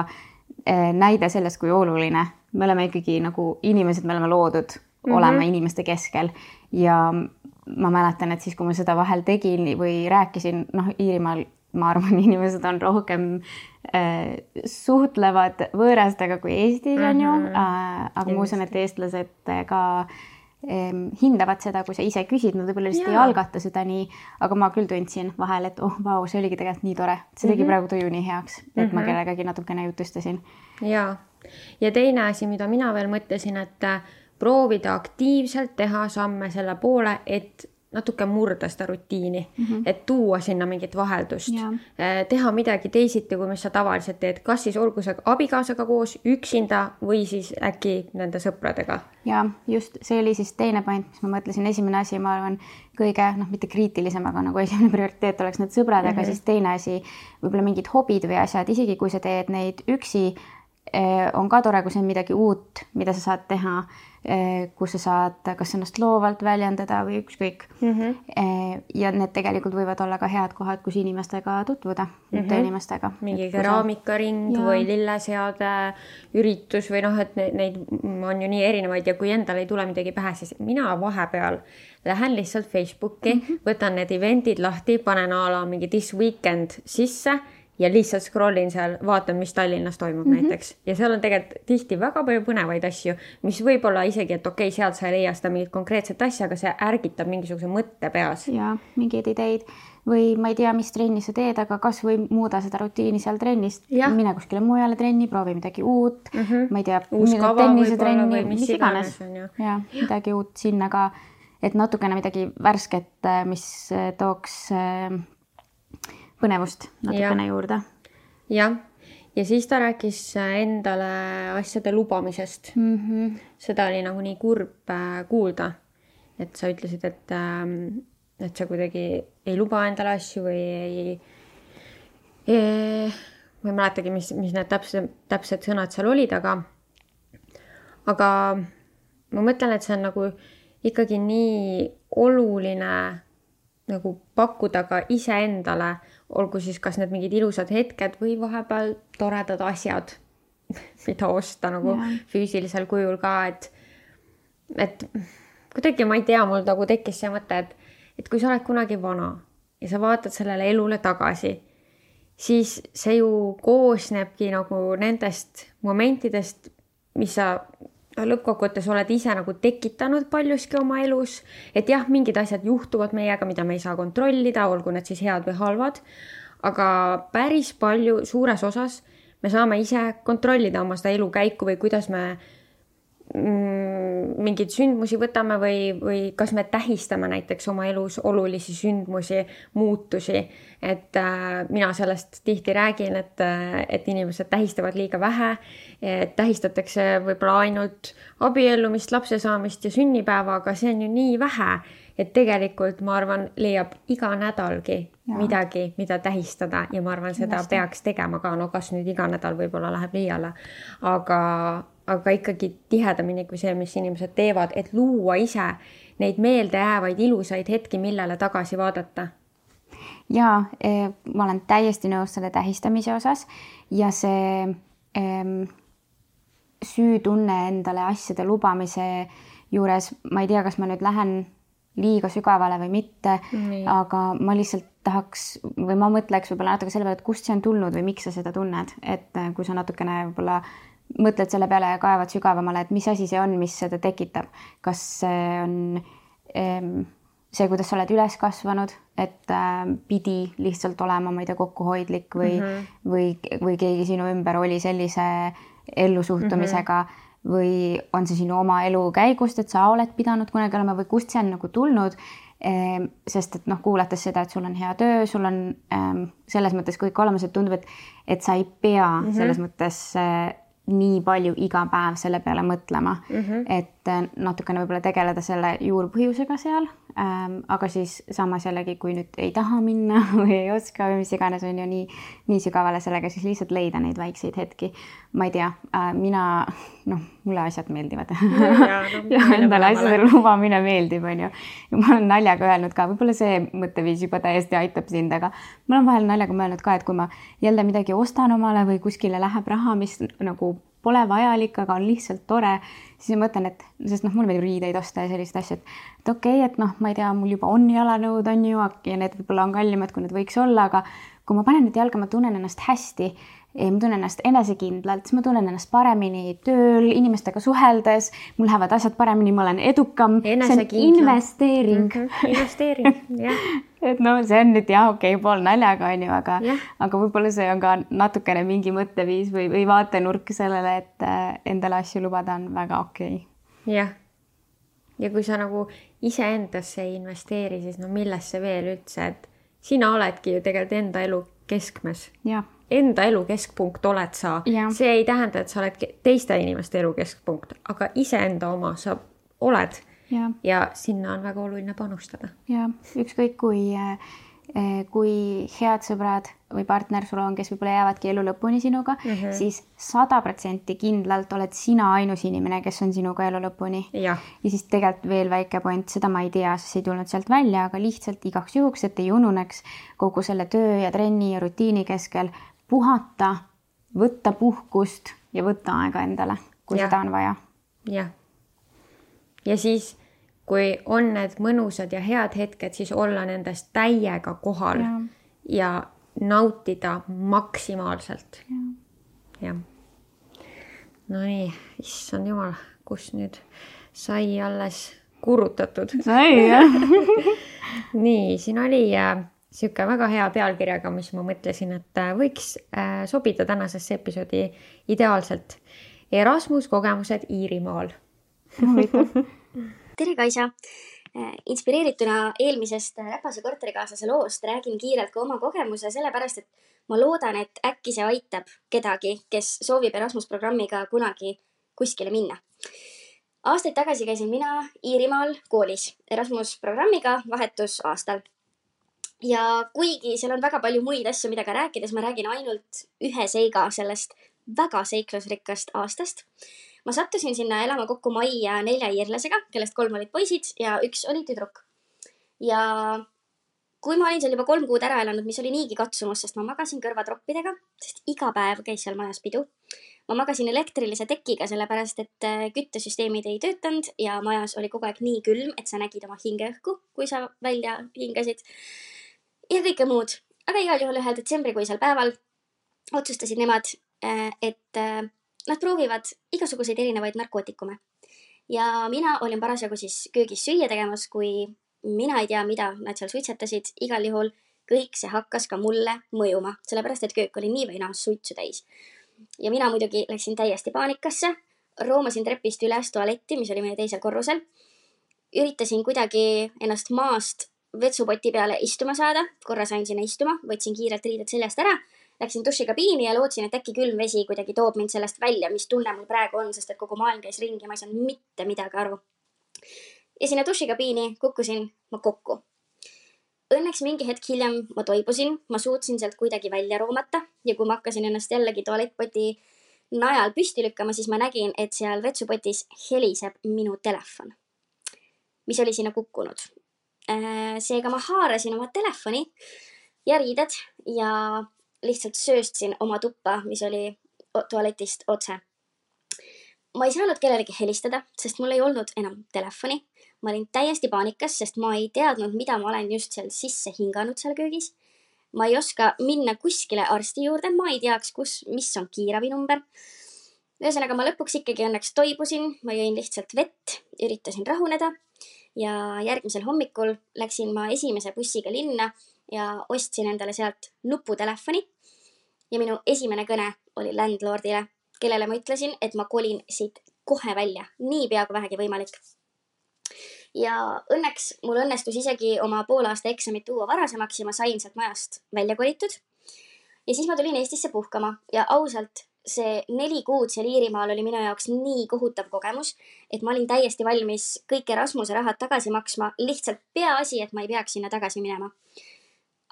näide sellest, kui oluline. Me oleme ikkagi nagu inimesed, me oleme loodud olema inimeste keskel ja ma mäletan, et siis, kui ma seda vahel tegin või rääkisin, Iirimaal, ma arvan, inimesed on rohkem suhtlevad võõrastega kui Eestis on ju, aga ma usun, et eestlased ka hindavad seda, kui sa ise küsid, nad võib-olla lihtsalt ei algata seda nii, aga ma küll tundsin vahel, et vau, see oligi tegelikult nii tore. See tegi praegu tuju nii heaks, et ma kellegagi natukene jutustasin. Ja teine asi, mida mina veel mõtlesin, et proovida aktiivselt teha samme selle poole, et natuke murda seda rutiini, et tuua sinna mingit vaheldust, teha midagi teisiti, kui mis sa tavaliselt teed, kas siis olgu see abikaasaga koos, üksinda või siis äkki nende sõpradega. Ja just see oli siis teine point, mis ma mõtlesin, esimene asi, ma arvan, kõige, mitte kriitilisem, aga nagu esimene prioriteet oleks need sõbradega, siis teine asi, võib-olla mingid hobid või asjad, isegi kui sa teed neid üksi, on ka tore, kui see on midagi uut, mida sa saad teha, kus sa saad kas ennast loovalt väljendada või ükskõik. Ja need tegelikult võivad olla ka head kohad, kus inimestega tutvuda, uute inimestega. Mingi keraamikaring või lilleseade üritus või et neid on ju nii erinevaid ja kui endal ei tule midagi pähe, siis mina vahepeal lähen lihtsalt Facebooki, võtan need eventid lahti, panen ala mingi this weekend sisse ja lihtsalt scrollin seal, vaatan, mis Tallinnas toimub näiteks. Ja seal on tegelikult tihti väga palju põnevaid asju, mis võib olla isegi, et okei, sealt sa ei leia seda mingit konkreetset asja, aga see ärgitab mingisuguse mõtte peas. Ja mingeid ideid või ma ei tea, mis trenni sa teed, aga kas või muuda seda rutiini seal trennist. Mine kuskile mujale trenni, proovi midagi uut. Ma ei tea, tennisetrenni, mis iganes. Ja midagi uut sinna ka, et natukene midagi värsket, mis tooks põnevust natukene juurde. Ja siis ta rääkis endale asjade lubamisest. Seda oli nagu nii kurb kuulda, et sa ütlesid, et sa kuidagi ei luba endale asju või ma ei mäletagi, mis need täpsed sõnad seal olid, aga ma mõtlen, et see on nagu ikkagi nii oluline nagu pakkuda ka iseendale, olgu siis kas need mingid ilusad hetked või vahepeal toredad asjad, mida osta nagu füüsilisel kujul ka, et kuidagi ma ei tea, mul nagu tekkis see mõte, et kui sa oled kunagi vana ja sa vaatad sellele elule tagasi, siis see ju koosnebki nagu nendest momentidest, mis sa lõppkokkuvõttes oled ise nagu tekitanud paljuski oma elus, et jah, mingid asjad juhtuvad meiega, mida me ei saa kontrollida, olgu need siis head või halvad, aga päris palju suures osas me saame ise kontrollida oma seda elukäiku või kuidas me mingeid sündmusi võtame või kas me tähistame näiteks oma elus olulisi sündmusi, muutusi, et mina sellest tihti räägin, et inimesed tähistavad liiga vähe, et tähistatakse võib-olla ainult abiellumist, lapse saamist ja sünnipäeva, aga see on ju nii vähe, et tegelikult ma arvan, leiab iga nädalgi midagi, mida tähistada ja ma arvan, seda peaks tegema ka, kas nüüd iga nädal võib-olla läheb liiale, aga ikkagi tihedamini kui see, mis inimesed teevad, et luua ise neid meeldejäävaid ilusaid hetki, millele tagasi vaadata. Ja ma olen täiesti nõus selle tähistamise osas ja see süütunne endale asjade lubamise juures, ma ei tea, kas ma nüüd lähen liiga sügavale või mitte, aga ma lihtsalt tahaks või ma mõtleks võib-olla natuke selle peale, et kust see on tulnud või miks sa seda tunned, et kui sa natukene võib-olla mõtled selle peale ja kaevad sügavamale, et mis asi see on, mis seda tekitab. Kas see on see, kuidas sa oled üles kasvanud, et pidi lihtsalt olema, ma ei tea, kokkuhoidlik või keegi sinu ümber oli sellise ellusuhtumisega või on see sinu oma elu käigust, et sa oled pidanud kunagi olema või kust see on nagu tulnud, sest et kuulates seda, et sul on hea töö, sul on selles mõttes kõik olemas, et tundub, et sa ei pea selles mõttes nii palju iga päev selle peale mõtlema, et natukene võib-olla tegeleda selle juurpõhjusega seal, aga siis samas jällegi, kui nüüd ei taha minna või ei oska või mis iganes on ju nii sügavale sellega, siis lihtsalt leida neid väikseid hetki. Ma ei tea, mulle asjad meeldivad. Ja endale asjadele lubamine meeldib, on ju. Ja ma olen naljaga öelnud ka, võib-olla see mõtteviis juba täiesti aitab sind, aga ma olen vahel naljaga mõelnud ka, et kui ma jälle midagi ostan omale või kuskile läheb raha, mis nagu pole vajalik, aga on lihtsalt tore, siis ma mõtlen, et sest mul meeldib riideid osta ja sellist asja, et okei, et ma ei tea, mul juba on jalanõud, on ju, ja need võib-olla on kallimad, kui need võiks olla, aga kui ma panen nüüd jalga, ma tunnen ennast hästi, ma tunnen ennast enesekindlalt, siis ma tunnen ennast paremini tööl, inimestega suheldes, mul lähevad asjad paremini, ma olen edukam, see on investeering. Investeering, jah. Et see on nüüd pool naljaga, on ju, aga võib-olla see on ka natukene mingi mõtteviis või vaatenurk sellele, et endale asju lubada on väga okei. Jah. Ja kui sa nagu iseendasse ei investeeri, siis millesse veel üldse, et sina oledki ju tegelikult enda elu keskmes. Jah. Enda elu keskpunkt oled sa. Ja. See ei tähenda, et sa oled teiste inimeste elu keskpunkt, aga iseenda oma sa oled ja sinna on väga oluline panustada. Ja, ükskõik kui head sõbrad või partner sul on, kes võib-olla jäävadki elu lõpuni sinuga, siis 100% kindlalt oled sina ainus inimene, kes on sinuga elu lõpuni. Ja siis tegelikult veel väike point, seda ma ei tea, sest ei tulnud sealt välja, aga lihtsalt igaks juhuks, et ei ununeks kogu selle töö ja trenni ja rutiini keskel puhata, võtta puhkust ja võtta aega endale, kui seda on vaja. Jah. Ja siis, kui on need mõnusad ja head hetked, siis olla nendest täiega kohal ja nautida maksimaalselt. Ja. No nii, issand jumal, kus nüüd sai alles kurutatud. Sai, jah. Nii, siin oli siuke väga hea pealkirjaga, mis ma mõtlesin, et võiks sobida tänasesse episoodi ideaalselt. Erasmus kogemused Iirimaal. Tere, Kaisa! Inspireerituna eelmisest Räpase korterikaaslase loost räägin kiirelt ka oma kogemuse, sellepärast, et ma loodan, et äkki see aitab kedagi, kes soovib Erasmus-programmiga kunagi kuskile minna. Aastaid tagasi käisin mina Iirimaal koolis Erasmus-programmiga vahetusaastal. Ja kuigi seal on väga palju muid asju, mida ka rääkides, ma räägin ainult ühe seiga sellest väga seiklusrikkast aastast. Ma sattusin sinna elama kokku majja 4 iirlasega, kellest 3 olid poisid ja 1 oli tüdruk. Ja kui ma olin seal juba 3 kuud ära elanud, mis oli niigi katsumus, sest ma magasin kõrvatroppidega, sest iga päev käis seal majas pidu. Ma magasin elektrilise tekiga, sellepärast, et küttesüsteemid ei töötanud ja majas oli kogu aeg nii külm, et sa nägid oma hingeõhku, kui sa välja hingasid. Ja kõike muud. Aga igal juhul 1. detsembrikuisel päeval otsustasid nemad, et nad proovivad igasuguseid erinevaid narkootikume. Ja mina olin parasjagu siis köögis süüa tegemas, kui mina ei tea, mida nad seal suitsetasid. Igal juhul kõik see hakkas ka mulle mõjuma, sellepärast, et köök oli nii või naa suitsu täis. Ja mina muidugi läksin täiesti paanikasse, roomasin trepist üles tualetti, mis oli meie teisel korrusel. Üritasin kuidagi ennast maast vetsupoti peale istuma saada, korra sain sinna istuma, võtsin kiirelt riided seljast ära, läksin dušikabiini ja lootsin, et äkki külm vesi kuidagi toob mind sellest välja, mis tunne mul praegu on, sest et kogu maailm käis ringi ja ma ei saanud mitte midagi aru. Ja sinna dušikabiini kukkusin ma kokku. Õnneks mingi hetk hiljem ma toibusin, ma suutsin sealt kuidagi välja roomata ja kui ma hakkasin ennast jällegi tualettpoti najal püsti lükkama, siis ma nägin, et seal vetsupotis heliseb minu telefon, mis oli sinna kukkunud. Seega ma haarasin oma telefoni ja riided ja lihtsalt sööstsin oma tuppa, mis oli tualetist otse. Ma ei saanud kellelegi helistada, sest mul ei olnud enam telefoni. Ma olin täiesti paanikas, sest ma ei teadnud, mida ma olen just seal sisse hinganud seal köögis. Ma ei oska minna kuskile arsti juurde, ma ei teaks, mis on kiiravinumber. Ühesõnaga, ma lõpuks ikkagi õnneks toibusin, ma jõin lihtsalt vett, üritasin rahuneda. Ja järgmisel hommikul läksin ma esimese bussiga linna ja ostsin endale sealt nuputelefoni. Ja minu esimene kõne oli landlordile, kellele ma ütlesin, et ma kolin siit kohe välja, nii pea kui vähegi võimalik. Ja õnneks mul õnnestus isegi oma poolaasta eksamit tuua varasemaks ja ma sain sealt majast välja kolitud. Ja siis ma tulin Eestisse puhkama ja ausalt see 4 kuud seal Iirimaal oli minu jaoks nii kohutav kogemus, et ma olin täiesti valmis kõik Erasmuse rahad tagasi maksma, lihtsalt peaasi, et ma ei peaks sinna tagasi minema.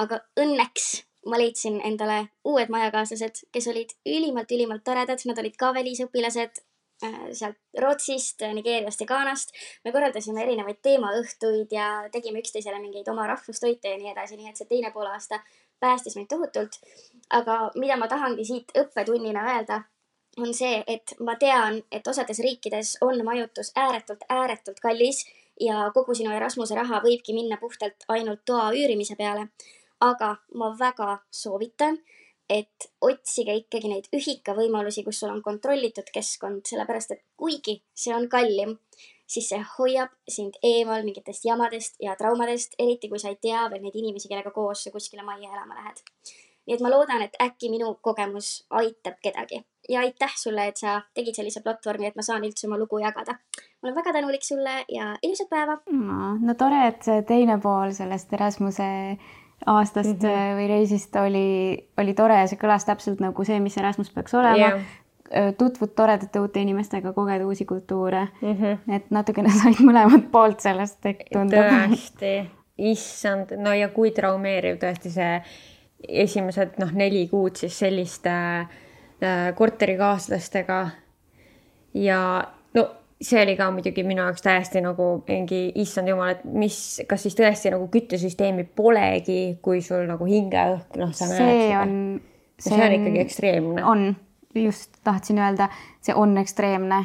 Aga õnneks ma leidsin endale uued majakaaslased, kes olid ülimalt toredad, nad olid ka välisõpilased sealt Rootsist, Nigeeriast ja Ghanast. Me korraldasime erinevaid teemaõhtuid ja tegime üksteisele mingeid oma rahvustoite ja nii edasi, nii et see teine poolaasta päästis meid tohutult. Aga mida ma tahangi siit õppetunnina öelda, on see, et ma tean, et osades riikides on majutus ääretult kallis ja kogu sinu Erasmuse raha võibki minna puhtalt ainult toa üürimise peale. Aga ma väga soovitan, et otsige ikkagi neid ühikavõimalusi, kus sul on kontrollitud keskkond, sellepärast et kuigi see on kallim, siis see hoiab sind eemal mingitest jamadest ja traumadest, eriti kui sa ei tea veel neid inimesi, kellega koos sa kuskile majja elama lähed. Nii et ma loodan, et äkki minu kogemus aitab kedagi. Ja aitäh sulle, et sa tegid sellise platvormi, et ma saan üldse oma lugu jagada. Ma olen väga tänulik sulle ja ilusat päeva! No tore, et see teine pool sellest Erasmuse aastast või reisist oli tore ja see kõlas täpselt nagu see, mis Erasmus peaks olema. Tutvud toredate uute inimestega, koged uusi kultuure. Et natukene said mõlemad poolt sellest tundub. Tõesti, issand. No ja kui traumeeriv tõesti see esimesed 4 kuud siis selliste korterikaaslastega. Ja no see oli ka muidugi minu jaoks täiesti nagu mingi issand jumal, et kas siis tõesti nagu küttesüsteemi polegi, kui sul nagu hingeõhk, sa näed. See on ikkagi ekstreemne. On, just tahtsin öelda, see on ekstreemne.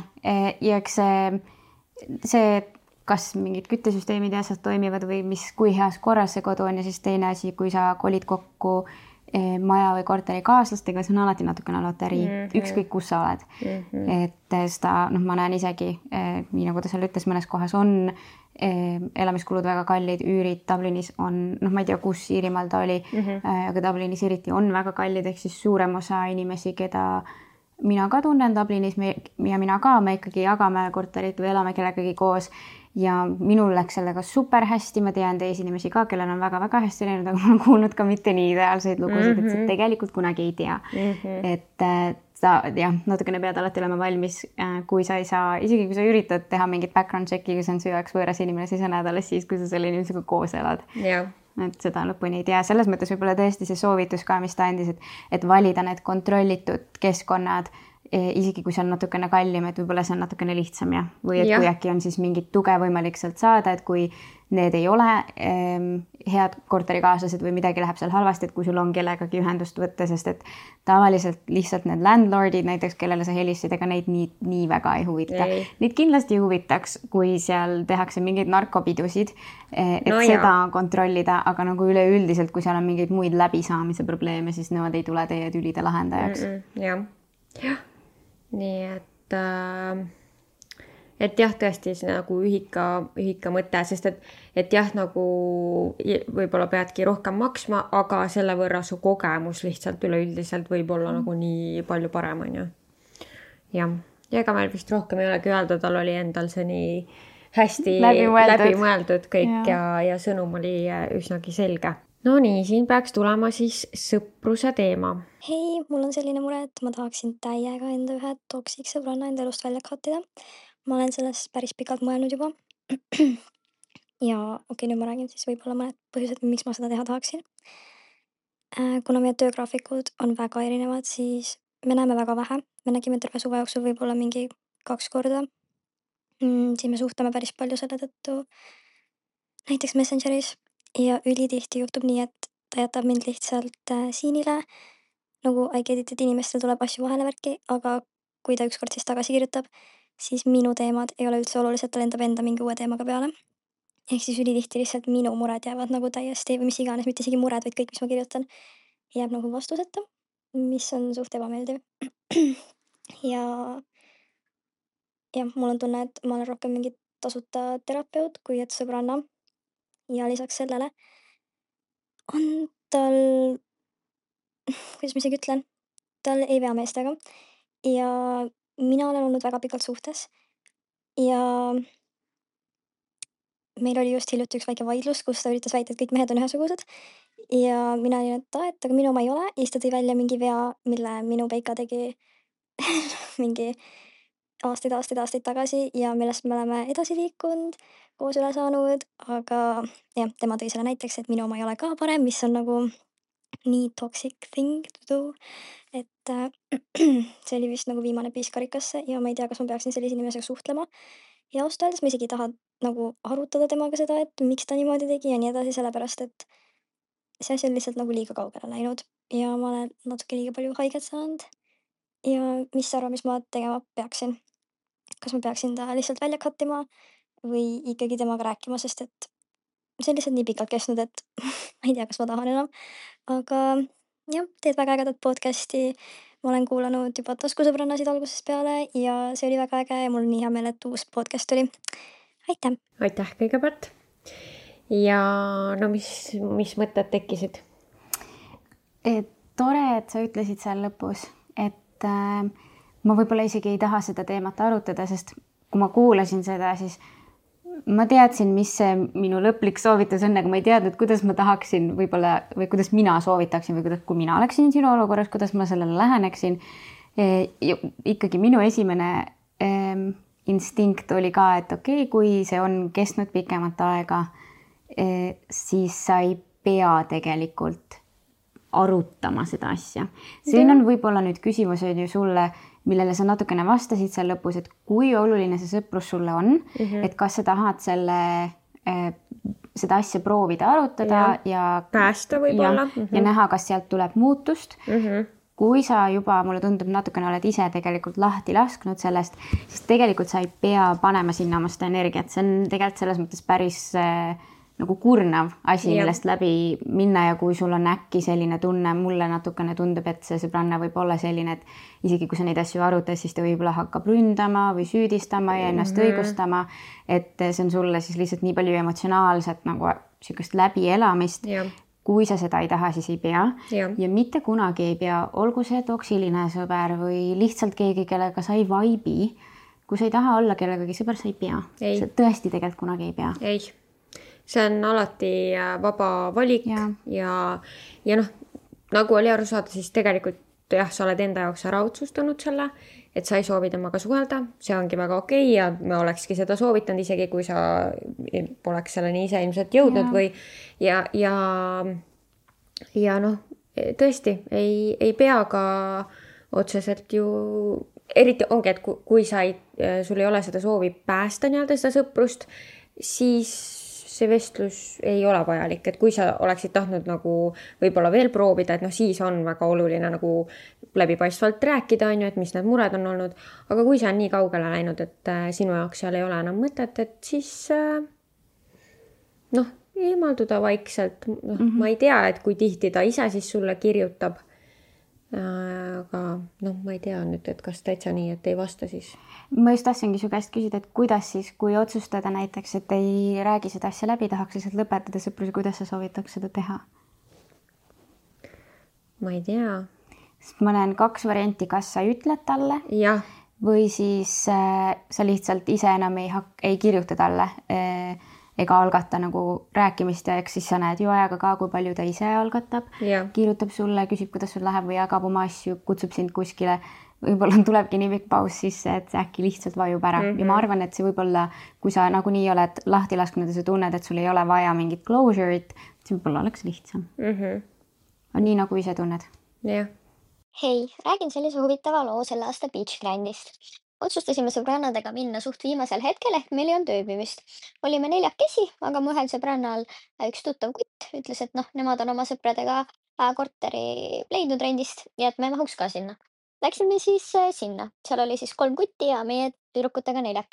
Ja eks see, kas mingid küttesüsteemid ja asjad toimivad või kui heas korras see kodu on ja siis teine asi, kui sa kolid kokku maja või korteri kaaslastega, see on alati natukene loterii, ükskõik kus sa oled. Et seda, ma näen isegi, nii nagu ta seal ütles, mõnes kohas on elamiskulud väga kallid, üürid Dublinis on, ma ei tea, kus Iirimaal ta oli, aga Dublinis eriti on väga kallid, ehk siis suurem osa inimesi, keda mina ka tunnen Dublinis ja mina ka, me ikkagi jagame korterit või elame kellegagi koos. Ja minul läks sellega super hästi, ma tean teisi inimesi ka, kellel on väga hästi läinud, aga ma olen kuulnud ka mitte nii ideaalseid lugusid, et sa tegelikult kunagi ei tea. Et sa natukene pead alati olema valmis, kui sa ei saa, isegi kui sa üritad teha mingit background checki, kui see on su jaoks võõras inimene, siis on alles siis, kui sa selle inimesega koos elad. Et seda lõpuni ei tea. Selles mõttes võib-olla tõesti see soovitus ka, mis ta andis, et valida need kontrollitud keskkonnad, isegi kui see on natukene kallim, et võib-olla see on natukene lihtsam või et kui äkki on siis mingit tuge võimalik sealt saada, et kui need ei ole head korterikaaslased või midagi läheb seal halvasti, et kui sul on kellegagi ühendust võtta, sest et tavaliselt lihtsalt need landlordid näiteks, kellele sa helistasid, ega neid nii väga ei huvita. Neid kindlasti huvitaks, kui seal tehakse mingeid narkopidusid, et seda kontrollida, aga nagu üleüldiselt, kui seal on mingeid muid läbisaamise probleeme, siis nemad ei tule teie tülide lahendajaks. Jah. Nii et jah, tõesti see nagu ühika mõte, sest et jah, nagu võib-olla peadki rohkem maksma, aga selle võrra su kogemus lihtsalt üleüldiselt võib olla nagu nii palju parem, on ju. Ja ega meil vist rohkem ei olegi öelda, tal oli endal see nii hästi läbimõeldud kõik ja sõnum oli üsnagi selge. No nii, siin peaks tulema siis sõpruse teema. Hei, mul on selline mure, et ma tahaksin täiega enda ühe toksik sõbranna enda elust välja kattida. Ma olen sellest päris pikalt mõelnud juba. Ja nüüd ma räägin siis võib-olla mõned põhjused, miks ma seda teha tahaksin. Kuna meie töögraafikud on väga erinevad, siis me näeme väga vähe. Me nägime terve suve jooksul võib-olla mingi 2 korda. Siis me suhtleme päris palju selle tõttu näiteks Messengeris. Ja ülitihti juhtub nii, et ta jätab mind lihtsalt siinile, nagu I get it, et inimestel tuleb asju vahele värki, aga kui ta ükskord siis tagasi kirjutab, siis minu teemad ei ole üldse olulised, ta lendab enda mingi uue teemaga peale. Ehk siis ülitihti lihtsalt minu mured jäävad nagu täiesti või mis iganes, mitte isegi mured, vaid kõik, mis ma kirjutan, jääb nagu vastuseta, mis on suht ebameeldiv. Ja mul on tunne, et ma olen rohkem mingi tasuta terapeut, kui et sõbranna. Ja lisaks sellele on tal, kuidas ma isegi ütlen, tal ei vea meestega ja mina olen olnud väga pikalt suhtes ja meil oli just hiljuti üks väike vaidlus, kus ta üritas väita, et kõik mehed on ühesugused ja mina olin, et aga minu oma ei ole ja siis ta tõi välja mingi vea, mille minu peika tegi mingi aastaid tagasi ja millest me oleme edasi liikunud, koos üle saanud, aga jah, tema tõi selle näiteks, et minu oma ei ole ka parem, mis on nagu nii toxic thing to do, et see oli vist nagu viimane piis karikasse ja ma ei tea, kas ma peaksin sellise inimesega suhtlema. Ja ausalt öeldes ma isegi ei taha nagu arutada temaga seda, et miks ta niimoodi tegi ja nii edasi, sellepärast et see asi on lihtsalt nagu liiga kaugele läinud ja ma olen natuke liiga palju haiget saanud. Ja mis sa arvad, mis ma tegema peaksin? Kas ma peaksin ta lihtsalt välja cut ima või ikkagi temaga rääkima, sest et see on lihtsalt nii pikalt kestnud, et ma ei tea, kas ma tahan enam. Aga jah, teed väga ägedat podcast'i. Ma olen kuulanud juba taskusõbrannasid algusest peale ja see oli väga äge ja mul on nii hea meel, et uus podcast tuli. Aitäh! aitäh kõigepealt. Ja no mis mõtted tekkisid? Tore, et sa ütlesid seal lõpus, et ma võib-olla isegi ei taha seda teemat arutada, sest kui ma kuulasin seda, siis ma teadsin, mis see minu lõplik soovitus on, aga ma ei teadnud, kuidas ma tahaksin võib-olla või kuidas mina soovitaksin või kuidas, kui mina oleksin sinu olukorras, kuidas ma sellele läheneksin. Ikkagi minu esimene instinkt oli ka, et okei, kui see on kestnud pikemat aega, siis sa ei pea tegelikult arutama seda asja. Siin on võib-olla nüüd küsimus on ju sulle, millele sa natukene vastasid seal lõpus, et kui oluline see sõprus sulle on, et kas sa tahad seda asja proovida arutada ja päästa võib-olla. Ja näha, kas sealt tuleb muutust. Kui sa juba, mulle tundub, natukene oled ise tegelikult lahti lasknud sellest, siis tegelikult sa ei pea panema sinna oma seda energiat. See on tegelikult selles mõttes päris nagu kurnav asi, millest läbi minna ja kui sul on äkki selline tunne, mulle natukene tundub, et see sõbranna võib olla selline, et isegi kui sa neid asju arutad, siis ta võib-olla hakkab ründama või süüdistama ja ennast õigustama, et see on sulle siis lihtsalt nii palju emotsionaalset nagu sükest läbielamist. Kui sa seda ei taha, siis ei pea. Ja mitte kunagi ei pea, olgu see toksiline sõber või lihtsalt keegi, kellega sa ei vaibi. Kui sa ei taha olla kellegagi sõber, sa ei pea. Sa tõesti tegelikult kunagi ei pea. Ei. See on alati vaba valik ja noh, nagu oli aru saada, siis tegelikult jah, sa oled enda jaoks ära otsustanud selle, et sa ei soovi temaga suhelda, see ongi väga okei ja me olekski seda soovitanud, isegi kui sa poleks selleni ise ilmselt jõudnud või ja noh, tõesti ei pea ka otseselt ju, eriti ongi, et kui sul ei ole seda soovi päästa nii-öelda seda sõprust, siis see vestlus ei ole vajalik, et kui sa oleksid tahtnud nagu võib-olla veel proovida, et noh, siis on väga oluline nagu läbipaistvalt rääkida, on ju, et mis need mured on olnud, aga kui see on nii kaugele läinud, et sinu jaoks seal ei ole enam mõtet, et siis noh, eemalduda vaikselt, ma ei tea, et kui tihti ta ise siis sulle kirjutab, aga noh, ma ei tea nüüd, et kas täitsa nii, et ei vasta siis. Ma just tahtsingi su käest küsida, et kuidas siis, kui otsustada näiteks, et ei räägi seda asja läbi, tahaks lihtsalt lõpetada sõpruse, kuidas sa soovitaks seda teha? Ma ei tea. Sest ma näen 2 varianti, kas sa ütled talle või siis sa lihtsalt ise enam ei kirjuta talle ega algata nagu rääkimist ja eks siis sa näed ju ajaga ka, kui palju ta ise algatab, kirjutab sulle, küsib, kuidas sul läheb või jagab oma asju, kutsub sind kuskile. Võib-olla tulebki nii pikk paus sisse, et see äkki lihtsalt vajub ära. Ja ma arvan, et see võib-olla, kui sa nagunii oled lahti lasknud ja sa tunned, et sul ei ole vaja mingit closure'it, see võib-olla oleks lihtsam. On nii, nagu ise tunned. Hei, räägin sellise huvitava loo selle aasta Beach Grindist. Otsustasime sõbrannadega minna suht viimasel hetkel, ehk meil ei olnud ööbimist. Olime 4, aga mu ühel sõbrannal üks tuttav kutt ütles, et noh, nemad on oma sõpradega korteri leidnud rendist ja et me mahuks ka sinna. Läksime siis sinna. Seal oli siis 3 kutti ja meie tüdrukutega 4.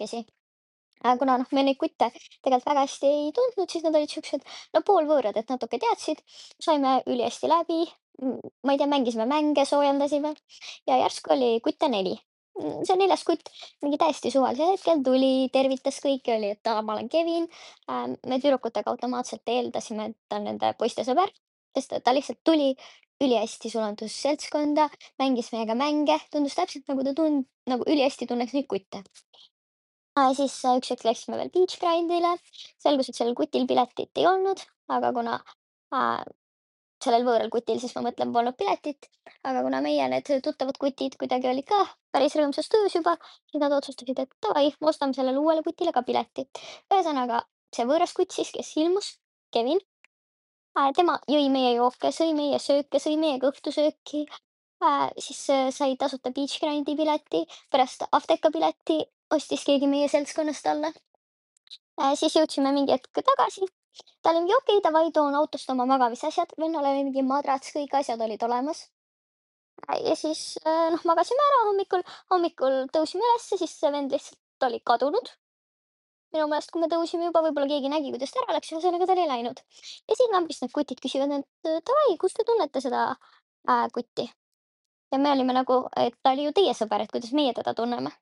Kuna noh, me neid kutte tegelikult väga hästi ei tundnud, siis nad olid siuksed, no poolvõõrad, et natuke teadsid. Saime ülihästi läbi. Ma ei tea, mängisime mänge, soojendasime ja järsku oli kutte 4. See 4. kutt mingi täiesti suvalisel hetkel tuli, tervitas kõiki, oli, et ma olen Kevin. Me tüdrukutega automaatselt eeldasime, et ta on nende poiste sõber, sest ta lihtsalt tuli ülihästi sulandus seltskonda, mängis meiega mänge, tundus täpselt nagu ta nagu ülihästi tunneks neid kutte. Siis üks hetk läksime veel Beach Grindile, selgus, et sellel kutil piletit ei olnud, aga kuna sellel võõral kutil, siis ma mõtlen, polnud piletit, aga kuna meie need tuttavad kutid kuidagi olid ka päris rõõmsas töös juba, siis nad otsustasid, et davai, ostame sellele uuele kutile ka pileti. Ühesõnaga, see võõras kutt siis, kes ilmus, Kevin, tema jõi meie jooke, sõi meie sööke, sõi meiega õhtusööki, siis sai tasuta Beach Grindi pileti, pärast Afteka pileti ostis keegi meie seltskonnast talle. Siis jõudsime mingi hetk tagasi. Ta oli mingi okei, davai, toon autost oma magamisasjad. Vennal oli mingi madrats, kõik asjad olid olemas. Ja siis magasime ära hommikul tõusime ülesse, siis see vend lihtsalt oli kadunud. Minu meelest, kui me tõusime juba, võib-olla keegi nägi, kuidas ta ära läks, ühesõnaga ta oli läinud. Ja siin lambist need kutid küsivad, et davai, kus te tunnete seda kutti? Ja me olime nagu, et ta oli ju teie sõber, et kuidas meie teda tunneme.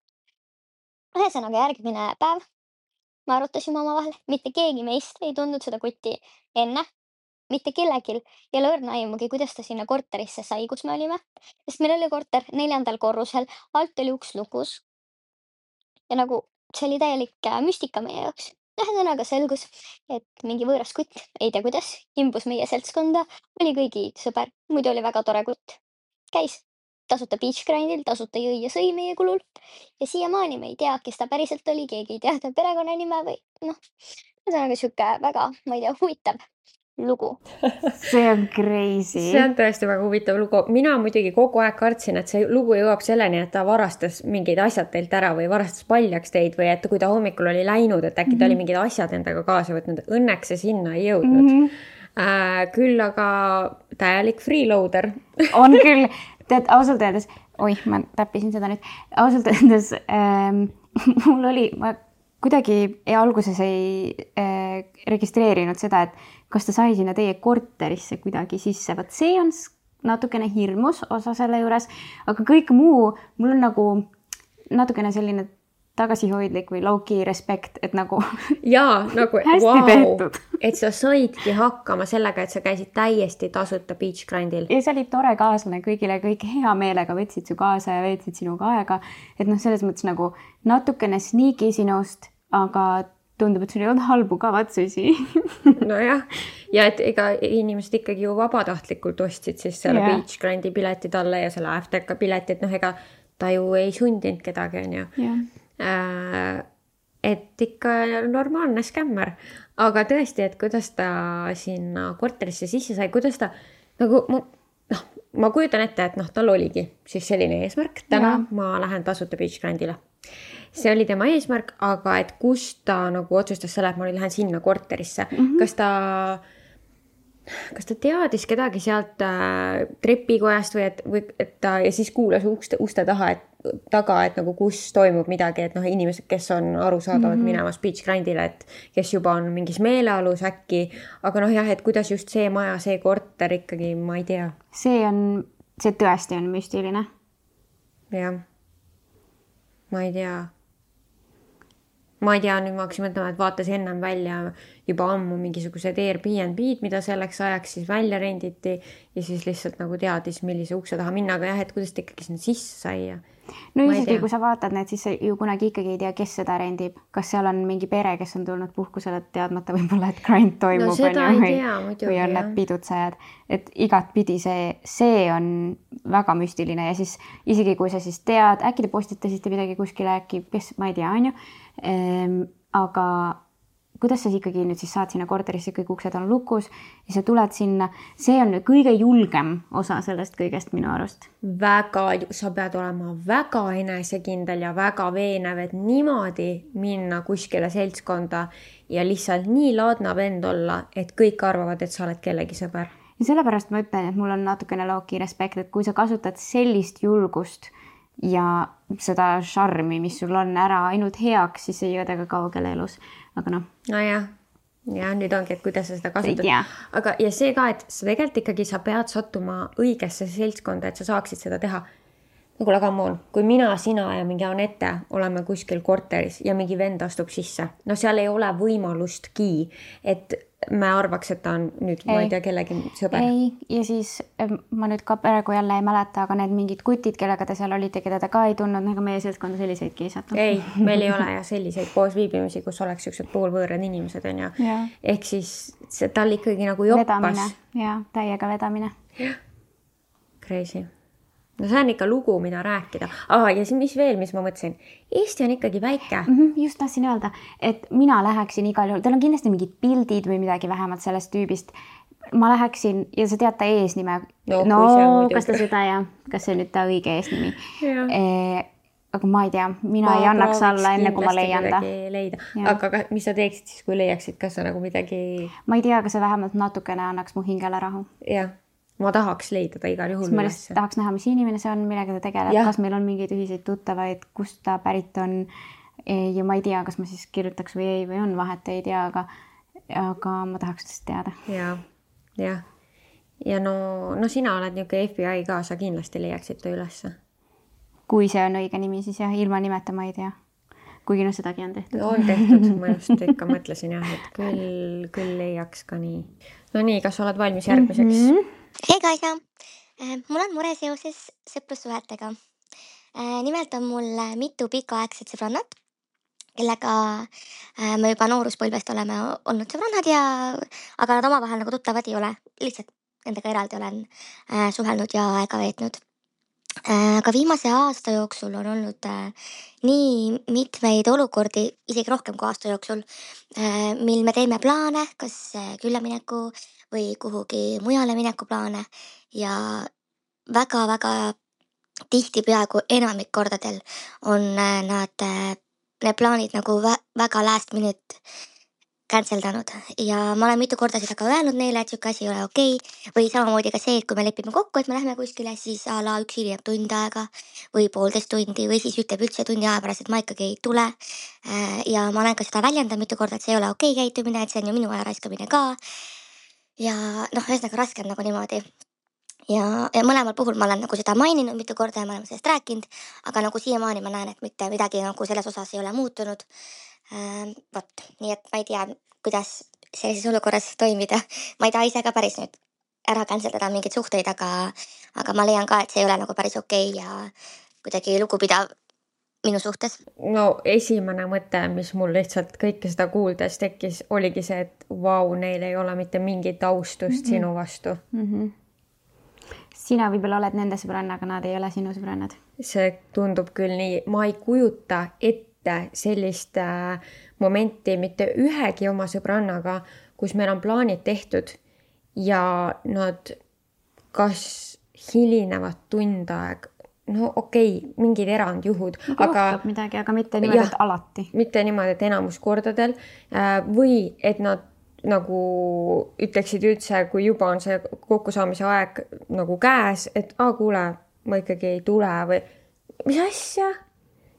Ühesõnaga järgmine päev me arutasime omavahel, mitte keegi meist ei tundnud seda kutti enne, mitte kellegil ei ole õrna aimugi, kuidas ta sinna korterisse sai, kus me olime, sest meil oli korter 4. korrusel, alt oli uks lukus. Ja nagu see oli täielik müstika meie jaoks. Ühesõnaga selgus, et mingi võõras kutt, ei tea kuidas, imbus meie seltskonda, oli kõigi sõber, muidu oli väga tore kutt. Käis tasuta Beach Grindil, tasuta jõi ja sõi meie kulul. Ja siiamaani me ei tea, kes ta päriselt oli, keegi ei tea ta perekonnanime või ühesõnaga sihuke väga, ma ei tea, huvitav lugu. See on crazy. See on tõesti väga huvitav lugu. Mina muidugi kogu aeg kartsin, et see lugu jõuab selleni, et ta varastas mingid asjad teilt ära või varastas paljaks teid või et kui ta hommikul oli läinud, et äkki ta oli mingid asjad endaga kaasa võtnud. Õnneks see sinna ei jõudnud. Küll aga täielik freeloader. On küll. Tead, ausalt öeldes, ma täppisin seda nüüd, ausalt öeldes mul oli, ma kuidagi alguses ei registreerinud seda, et kas ta sai sinna teie korterisse kuidagi sisse, vaat see on natukene hirmus osa selle juures, aga kõik muu, mul on nagu natukene selline tagasihoidlik või low-key respekt, et nagu jaa, nagu hästi tehtud. Et sa saidki hakkama sellega, et sa käisid täiesti tasuta Beach Grindil. Ja see oli tore kaaslane kõigile, kõik hea meelega võtsid su kaasa ja veetsid sinuga aega. Et selles mõttes nagu natukene sneaky sinust, aga tundub, et sul ei olnud halbu kavatsusi. Nojah, ja et ega inimesed ikkagi ju vabatahtlikult ostsid siis selle Beach Grindi pileti talle ja selle Afteka pileti, et ega ta ju ei sundinud kedagi, on ju. Et ikka normaalne skämmer, aga tõesti, et kuidas ta sinna korterisse sisse sai, kuidas ta nagu, ma kujutan ette, et tal oligi siis selline eesmärk, täna ma lähen tasuta Beach Grindile. See oli tema eesmärk, aga et kus ta nagu otsustas selle, et ma lähen sinna korterisse, kas ta teadis kedagi sealt trepikojast või et ta ja siis kuulas uste taga, et nagu kus toimub midagi, et inimesed, kes on arusaadavad minemas Beach Grindile, et kes juba on mingis meelealus äkki, aga et kuidas just see maja, see korter ikkagi, ma ei tea. See tõesti on müstiline. Jah, ma ei tea. Ma ei tea, nüüd ma hakkasin mõtlema, et vaatas ennem välja juba ammu mingisugused Airbnb-d, mida selleks ajaks siis välja renditi ja siis lihtsalt nagu teadis, millise ukse taha minna, aga et kuidas ta ikkagi sinna sisse sai. No isegi kui sa vaatad need, siis sa ju kunagi ikkagi ei tea, kes seda rendib. Kas seal on mingi pere, kes on tulnud puhkusele teadmata võib-olla, et grind toimub või on need pidutsejad. Et igat pidi see on väga müstiline ja siis isegi kui sa siis tead, äkki te postitasite midagi kuskile, äkki, kes, ma ei tea, on ju. Aga kuidas sa ikkagi nüüd siis saad sinna korterisse, kõik uksed on lukus ja sa tuled sinna, see on kõige julgem osa sellest kõigest minu arust. Sa pead olema väga enesekindel ja väga veenev, et niimoodi minna kuskile seltskonda ja lihtsalt nii laadna vend olla, et kõik arvavad, et sa oled kellegi sõber. Ja sellepärast ma ütlen, et mul on natukene low-key respekt, et kui sa kasutad sellist julgust ja seda šarmi, mis sul on ära ainult heaks, siis ei jõuda ka kaugele elus. Aga Nojah, ja nüüd ongi, et kuidas sa seda kasutad. Aga ja see ka, et sa tegelikult ikkagi sa pead sattuma õigesse seltskonda, et sa saaksid seda teha. kuule, come on, kui mina, sina ja mingi Anette oleme kuskil korteris ja mingi vend astub sisse, no seal ei ole võimalustki, et me arvaks, et ta on nüüd, ma ei tea, kellegi sõber. Ei, ja siis ma nüüd ka praegu jälle ei mäleta, aga need mingid kutid, kellega te seal olite, keda te ka ei tundnud, nagu meie seltskonda selliseid kiisata. Ei, meil ei ole ja selliseid koosviibimisi, kus oleks sellised poolvõõrad inimesed, on ju. Ehk siis see tal ikkagi nagu joppas. Vedamine, ja täiega vedamine. Crazy. No see on ikka lugu, mida rääkida. Ja siis mis veel, mis ma mõtlesin? Eesti on ikkagi väike. Just tahtsin öelda, et mina läheksin igal juhul, teil on kindlasti mingid pildid või midagi vähemalt sellest tüübist. Ma läheksin, ja sa tead ta eesnime. Kas ta seda ja kas see nüüd ta õige eesnimi. Aga ma ei tea, mina ei annaks alla enne, kui ma leian ta. Aga mis sa teeksid siis, kui leiaksid, kas sa nagu midagi... Ma ei tea, aga see vähemalt natukene annaks mu hingele rahu. Jah. Ma tahaks leida ta igal juhul. Ma tahaks näha, mis inimene see on, millega ta tegeleb, kas meil on mingeid ühiseid tuttavaid, kust ta pärit on. Ja ma ei tea, kas ma siis kirjutaks või ei, või on vahet, ei tea, aga ma tahaks tõesti teada. Ja. Ja no sina oled niuke FBI ka, sa kindlasti leiaksid ta ülesse. Kui see on õige nimi, siis jah, ilma nimeta ma ei tea. Kuigi sedagi on tehtud. On tehtud, ma just ikka mõtlesin jah, et küll leiaks ka nii. No nii, kas oled valmis järgmiseks? Hei Kaisa, mul on mure seoses sõprussuhetega. Nimelt on mul mitu pikaaegset sõbrannat, kellega me juba nooruspõlvest oleme olnud sõbrannad aga nad omavahel nagu tuttavad ei ole. Lihtsalt nendega eraldi olen suhelnud ja aega veetnud. Aga viimase aasta jooksul on olnud nii mitmeid olukordi, isegi rohkem kui aasta jooksul, mil me teeme plaane, kas küllamineku või kuhugi mujale mineku plaane ja väga-väga tihti peaaegu enamik kordadel on need plaanid nagu väga last minute canceldanud ja ma olen mitu korda seda ka öelnud neile, et siuke asi ei ole okei. Või samamoodi ka see, et kui me lepime kokku, et me lähme kuskile, siis a la üks hiljem tund aega või 1,5 tundi või siis ütleb üldse tundi aja pärast, et ma ikkagi ei tule. Ja ma olen ka seda väljendanud mitu korda, et see ei ole okei käitumine, et see on ju minu aja raiskamine ka. Ja ühesõnaga raske on nagu niimoodi. Ja mõlemal puhul ma olen nagu seda maininud mitu korda ja ma olen sellest rääkinud, aga nagu siiamaani ma näen, et mitte midagi nagu selles osas ei ole muutunud. Nii et ma ei tea, kuidas sellises olukorras toimida. Ma ei taha ise ka päris nüüd ära canceldada mingeid suhteid, aga ma leian ka, et see ei ole nagu päris okei ja kuidagi lugupidav minu suhtes. No esimene mõte, mis mul lihtsalt kõike seda kuuldes tekkis, oligi see, et vau, neil ei ole mitte mingit austust sinu vastu. Sina võib-olla oled nende sõbranna, aga nad ei ole sinu sõbrannad. See tundub küll nii. Ma ei kujuta ette sellist momenti mitte ühegi oma sõbrannaga, kus meil on plaanid tehtud ja nad kas hilinevad tund aeg. No okei, mingid erandjuhud. Juhtub midagi, aga mitte niimoodi, et alati. Mitte niimoodi, et enamus kordadel. Või et nad nagu ütleksid üldse, kui juba on see kokkusaamise aeg nagu käes, et kuule, ma ikkagi ei tule või mis asja?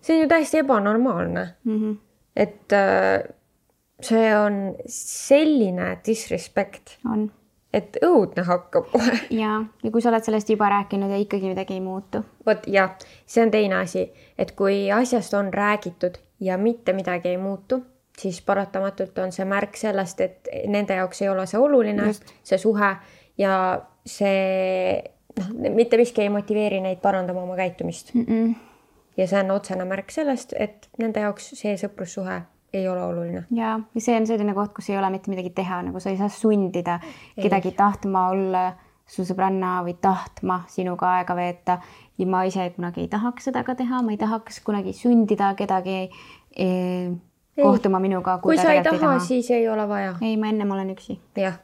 See on ju täiesti ebanormaalne. Et see on selline disrespect. On. Et õudne hakkab kohe. Ja kui sa oled sellest juba rääkinud ja ikkagi midagi ei muutu. Vot jah, see on teine asi, et kui asjast on räägitud ja mitte midagi ei muutu, siis paratamatult on see märk sellest, et nende jaoks ei ole see oluline, see suhe ja see mitte miski ei motiveeri neid parandama oma käitumist. Ja see on otsene märk sellest, et nende jaoks see sõprussuhe ei ole oluline. Ja see on selline koht, kus ei ole mitte midagi teha, nagu sa ei saa sundida kedagi tahtma olla su sõbranna või tahtma sinuga aega veeta. Ja ma ise kunagi ei tahaks seda ka teha, ma ei tahaks kunagi sundida kedagi kohtuma minuga. Kui sa ei taha, siis ei ole vaja. Ei, ma ennem olen üksi. Jah.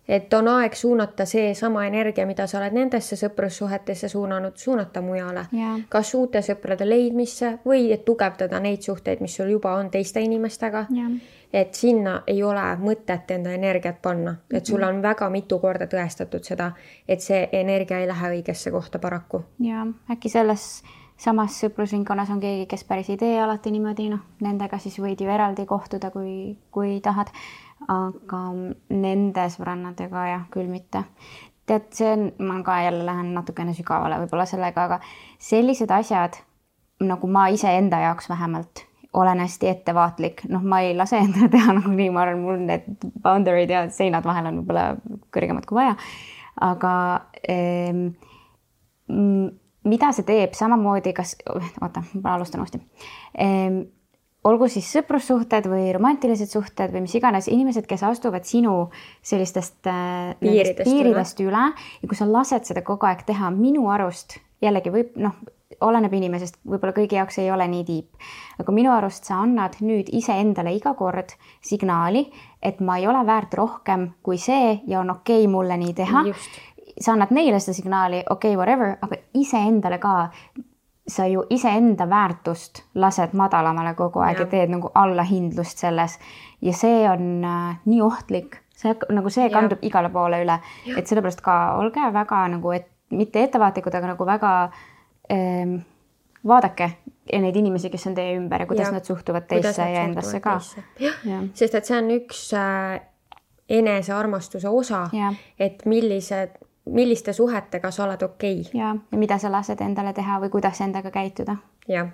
Et on aeg suunata see sama energia, mida sa oled nendesse sõprussuhetesse suunata mujale. Kas uute sõprade leidmisse või et tugevdada neid suhteid, mis sul juba on teiste inimestega. Et sinna ei ole mõtet enda energiat panna. Et sul on väga mitu korda tõestatud seda, et see energia ei lähe õigesse kohta paraku. Ja äkki selles samas sõprusringkonnas on keegi, kes päris ei tee alati niimoodi. Nendega siis võid ju eraldi kohtuda, kui tahad. Aga nende sõbrannadega jah, küll mitte. tead, ma ka jälle lähen natukene sügavale võib-olla sellega, aga sellised asjad, nagu ma iseenda jaoks vähemalt olen hästi ettevaatlik, ma ei lase endale teha nagu nii, ma arvan, mul need boundary'd ja seinad vahel on võib-olla kõrgemad kui vaja, aga mida see teeb samamoodi, ma alustan uuesti. Olgu siis sõprussuhted või romantilised suhted või mis iganes inimesed, kes astuvad sinu sellistest piiridest üle ja kui sa lased seda kogu aeg teha, minu arust jällegi oleneb inimesest, võib-olla kõigi jaoks ei ole nii tiip, aga minu arust sa annad nüüd iseendale iga kord signaali, et ma ei ole väärt rohkem kui see ja on okei mulle nii teha. Just. Sa annad neile seda signaali, whatever, aga iseendale ka, sa ju iseenda väärtust lased madalamale kogu aeg ja teed nagu allahindlust selles ja see on nii ohtlik, see kandub igale poole üle, et sellepärast ka olge väga nagu, mitte ettevaatlikud, aga nagu väga vaadake neid inimesi, kes on teie ümber ja kuidas nad suhtuvad teisse ja endasse ka. Sest et see on üks enesearmastuse osa, et milliste suhetega sa oled okei. Ja mida sa lased endale teha või kuidas endaga käituda. Ja,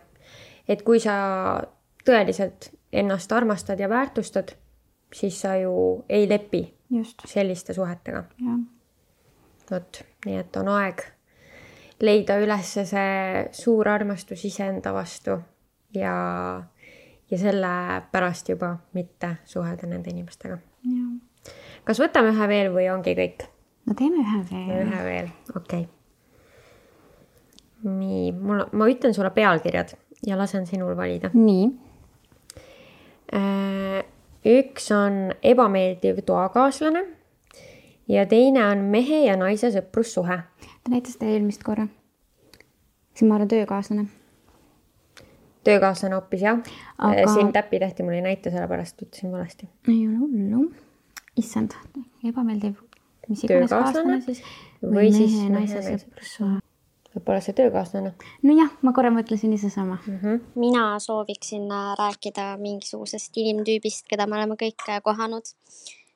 et kui sa tõeliselt ennast armastad ja väärtustad, siis sa ju ei lepi selliste suhetega. Nii et on aeg leida üles see suur armastus iseenda vastu ja selle pärast juba mitte suhelda nende inimestega. Ja. Kas võtame ühe veel või ongi kõik? No teeme ühe veel. Ühe veel, okei. Nii, ma ütlen sulle pealkirjad ja lasen sinul valida. Nii. Üks on ebameeldiv toakaaslane ja teine on mehe ja naise sõprussuhe. Ta näitas ta eelmist korra. Siin ma olen töökaaslane. Töökaaslane hoopis, jah. Aga... Siin täppi tehti, mul ei näita, sellepärast ütlesin valesti. Ei ole hullu. Issand, ebameeldiv. Mis iganes kaaslane siis? Või siis naise sõprussuhe. Võib-olla see töökaaslane. No jah, ma korra mõtlesin ise sama. Mina sooviksin rääkida mingisugusest inimtüübist, keda me oleme kõik kohanud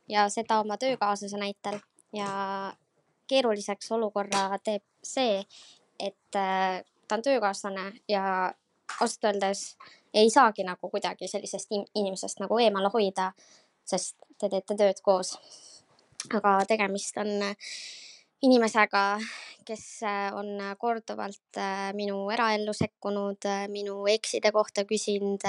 ja seda oma töökaaslase näitel ja keeruliseks olukorra teeb see, et ta on töökaaslane ja ausalt öeldes ei saagi nagu kuidagi sellisest inimesest nagu eemale hoida, sest te teete tööd koos. Aga tegemist on inimesega, kes on korduvalt minu eraellu sekkunud, minu ekside kohta küsinud,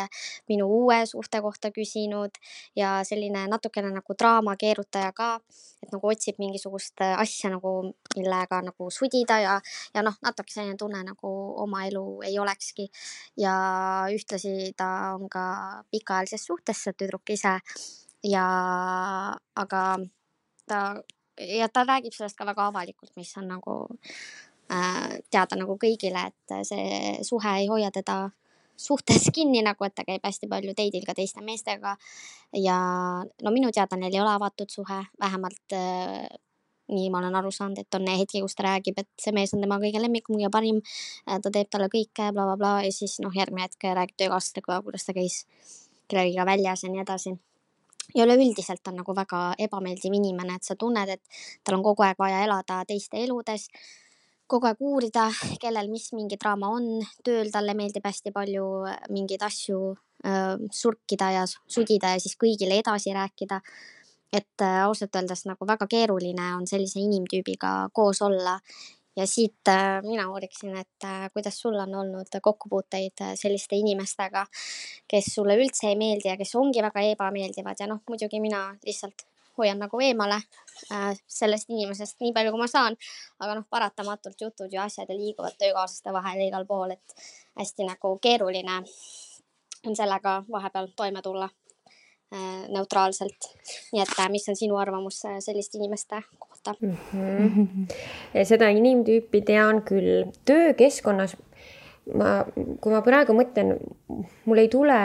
minu uue suhte kohta küsinud ja selline natukene nagu draama keerutaja ka, et nagu otsib mingisugust asja nagu, millega nagu sudida ja natuke selline tunne nagu oma elu ei olekski. Ja ühtlasi ta on ka pikaajalises suhtes, tüdruk ise aga ta räägib sellest ka väga avalikult, mis on nagu teada nagu kõigile, et see suhe ei hoia teda suhtes kinni, nagu et ta käib hästi palju teidil ka teiste meestega ja minu teada neil ei ole avatud suhe, vähemalt nii ma olen aru saanud, et on hetki, kus ta räägib, et see mees on tema kõige lemmikum ja parim, ta teeb talle kõike, bla, bla, bla, ja siis järgmine hetk räägib töökaaslastega, kuidas ta käis kellegiga väljas ja nii edasi. Ja üleüldiselt on nagu väga ebameeldiv inimene, et sa tunned, et tal on kogu aeg vaja elada teiste eludes, kogu aeg uurida, kellel mis mingi draama on, tööl talle meeldib hästi palju mingeid asju surkida ja sudida ja siis kõigile edasi rääkida. Et ausalt öeldes nagu väga keeruline on sellise inimtüübiga koos olla. Ja siit mina uuriksin, et kuidas sul on olnud kokkupuuteid selliste inimestega, kes sulle üldse ei meeldi ja kes ongi väga ebameeldivad ja muidugi mina lihtsalt hoian nagu eemale sellest inimesest nii palju, kui ma saan, aga paratamatult jutud ja asjad ja liiguvad töökaaslaste vahel igal pool, et hästi nagu keeruline on sellega vahepeal toime tulla neutraalselt. Nii et mis on sinu arvamus selliste inimeste kohta? Seda inimtüüpi tean küll. Töökeskkonnas, kui ma praegu mõtlen, mul ei tule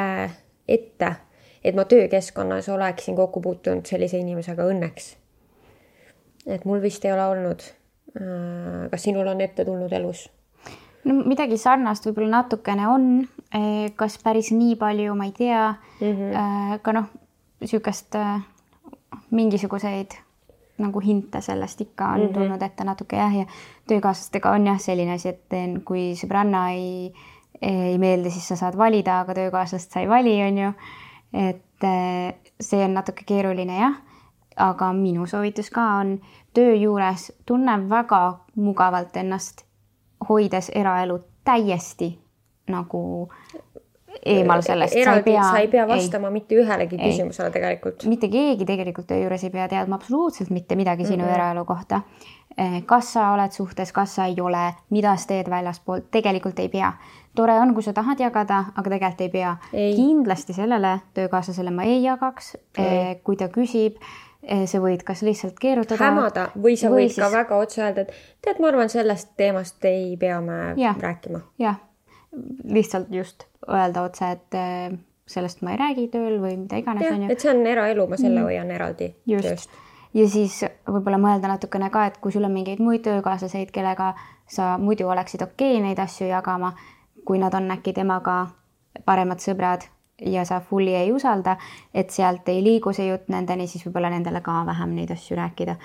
ette, et ma töökeskkonnas oleksin kokku puutunud sellise inimesega õnneks. Et mul vist ei ole olnud. Kas sinul on ette tulnud elus? No, midagi sarnast võib-olla natukene on, kas päris nii palju, ma ei tea, ka sükest mingisuguseid nagu hinte sellest ikka on tulnud ette natuke jah, ja töökaaslastega on jah selline asi, et kui sõbranna ei meeldi, siis sa saad valida, aga töökaaslast sa ei vali, on ju. Et see on natuke keeruline jah, aga minu soovitus ka on töö juures tunne väga mugavalt ennast, hoides eraelu täiesti nagu eemal sellest. Sa ei pea vastama mitte ühelegi küsimusele tegelikult. Mitte keegi tegelikult töö juures ei pea teadma absoluutselt mitte midagi sinu eraelu kohta. Kas sa oled suhtes, kas sa ei ole, mida sa teed väljaspoolt, tegelikult ei pea. Tore on, kui sa tahad jagada, aga tegelikult ei pea. Kindlasti sellele töökaaslasele ma ei jagaks. Kui ta küsib, sa võid kas lihtsalt keerutada. Hämada või sa võid ka väga otse öelda, et tead, ma arvan, sellest teemast ei pea me rääkima. Jah, lihtsalt just öelda otse, et sellest ma ei räägi tööl või mida iganes. Ja, et see on eraelu, ma selle hoian eraldi tööst. Ja siis võib-olla mõelda natukene ka, et kui sul on mingeid muid töökaaslaseid, kellega sa muidu oleksid okei neid asju jagama, kui nad on äkki temaga paremad sõbrad ja sa fulli ei usalda, et sealt ei liigu see jutt nendeni, siis võib-olla nendele ka vähem neid asju rääkida.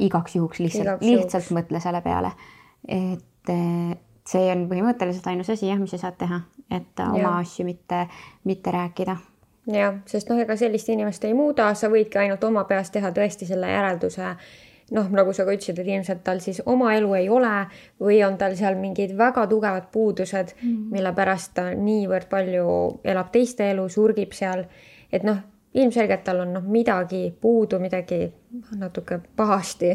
Igaks juhuks lihtsalt mõtle selle peale. Et see on põhimõtteliselt ainus asi, mis sa saad teha, et oma asju mitte rääkida. Ja, sest ega sellist inimest ei muuda, sa võidki ainult oma peas teha tõesti selle järelduse, nagu sa ka ütlesid, et ilmselt tal siis oma elu ei ole või on tal seal mingid väga tugevad puudused, mille pärast ta niivõrd palju elab teiste elu, surgib seal, et ilmselgelt tal on midagi puudu, midagi natuke pahasti,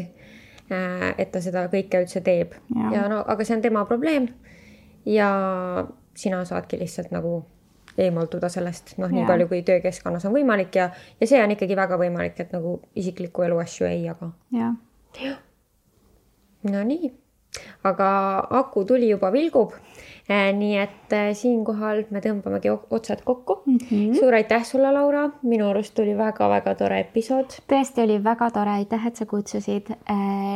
et ta seda kõike üldse teeb. Aga see on tema probleem ja sina saadki lihtsalt eemalduda sellest, nii palju kui töökeskkonnas on võimalik ja see on ikkagi väga võimalik, et isikliku elu asju ei jaga. Ja. No nii, aga aku tuli juba vilgub, nii et siinkohal me tõmbamegi otsad kokku. Suur aitäh sulle, Laura, minu arust tuli väga-väga tore episood. Tõesti oli väga tore, aitäh, et sa kutsusid.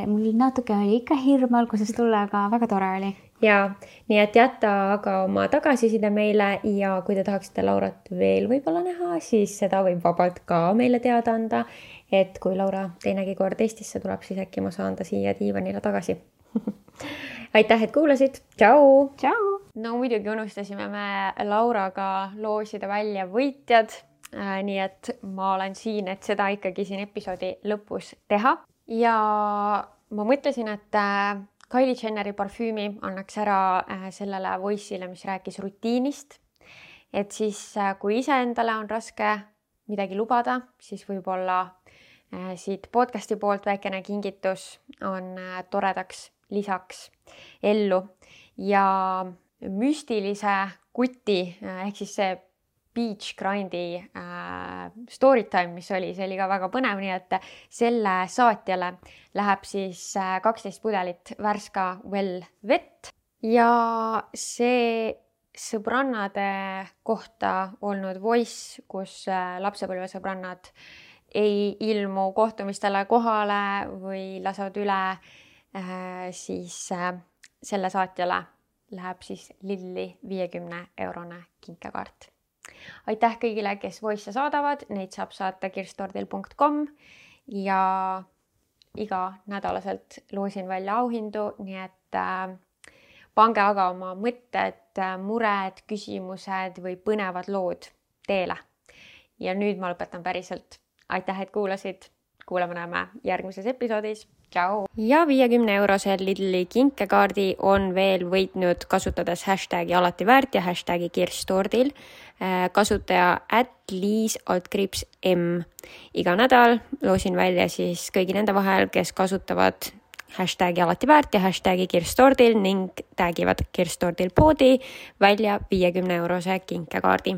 Mul natuke oli ikka hirm alguses tulla, aga väga tore oli. Ja, nii et jätta aga oma tagasiside meile ja kui te tahaksite Laurat veel võib-olla näha, siis seda võib vabalt ka meile teada anda, et kui Laura teinegi kord Eestisse tuleb, siis äkki ma saan ta siia diivanile tagasi. Aitäh, et kuulasid. Tšau! Tšau! No muidugi unustasime me Lauraga loosida välja võitjad, nii et ma olen siin, et seda ikkagi siin episoodi lõpus teha. Ja ma mõtlesin, et Kylie Jenneri parfüümi annaks ära sellele voice'ile, mis rääkis rutiinist. Et siis, kui ise endale on raske midagi lubada, siis võib-olla siit podcasti poolt väikene kingitus on toredaks lisaks ellu. Ja müstilise kuti, ehk siis see Beach Grindi storytime, mis oli, see oli ka väga põnev, nii et selle saatjale läheb siis 12 pudelit värska Well vett ja see sõbrannade kohta olnud voice, kus lapsepõlvesõbrannad ei ilmu kohtumistele kohale või lasevad üle, siis selle saatjale läheb siis Lilli 50-eurone kinkekaart. Aitäh kõigile, kes voice saadavad, neid saab saata kirstordil.com ja iga nädalaselt loosin välja auhindu, nii et pange aga oma mõtted, mured, küsimused või põnevad lood teele. Ja nüüd ma lõpetan päriselt. Aitäh, et kuulasid. Kuuleme-näeme järgmises episoodis. Ciao! Ja 50-eurose Lidli kinkekaardi on veel võitnud kasutades hashtagi alati väärt ja hashtagi kirstordil kasutaja @liis_m. Iga nädal loosin välja siis kõigi nende vahel, kes kasutavad hashtagi alati väärt ja hashtagi kirstordil ning tagivad kirstordil poodi välja 50-eurose kinkekaardi.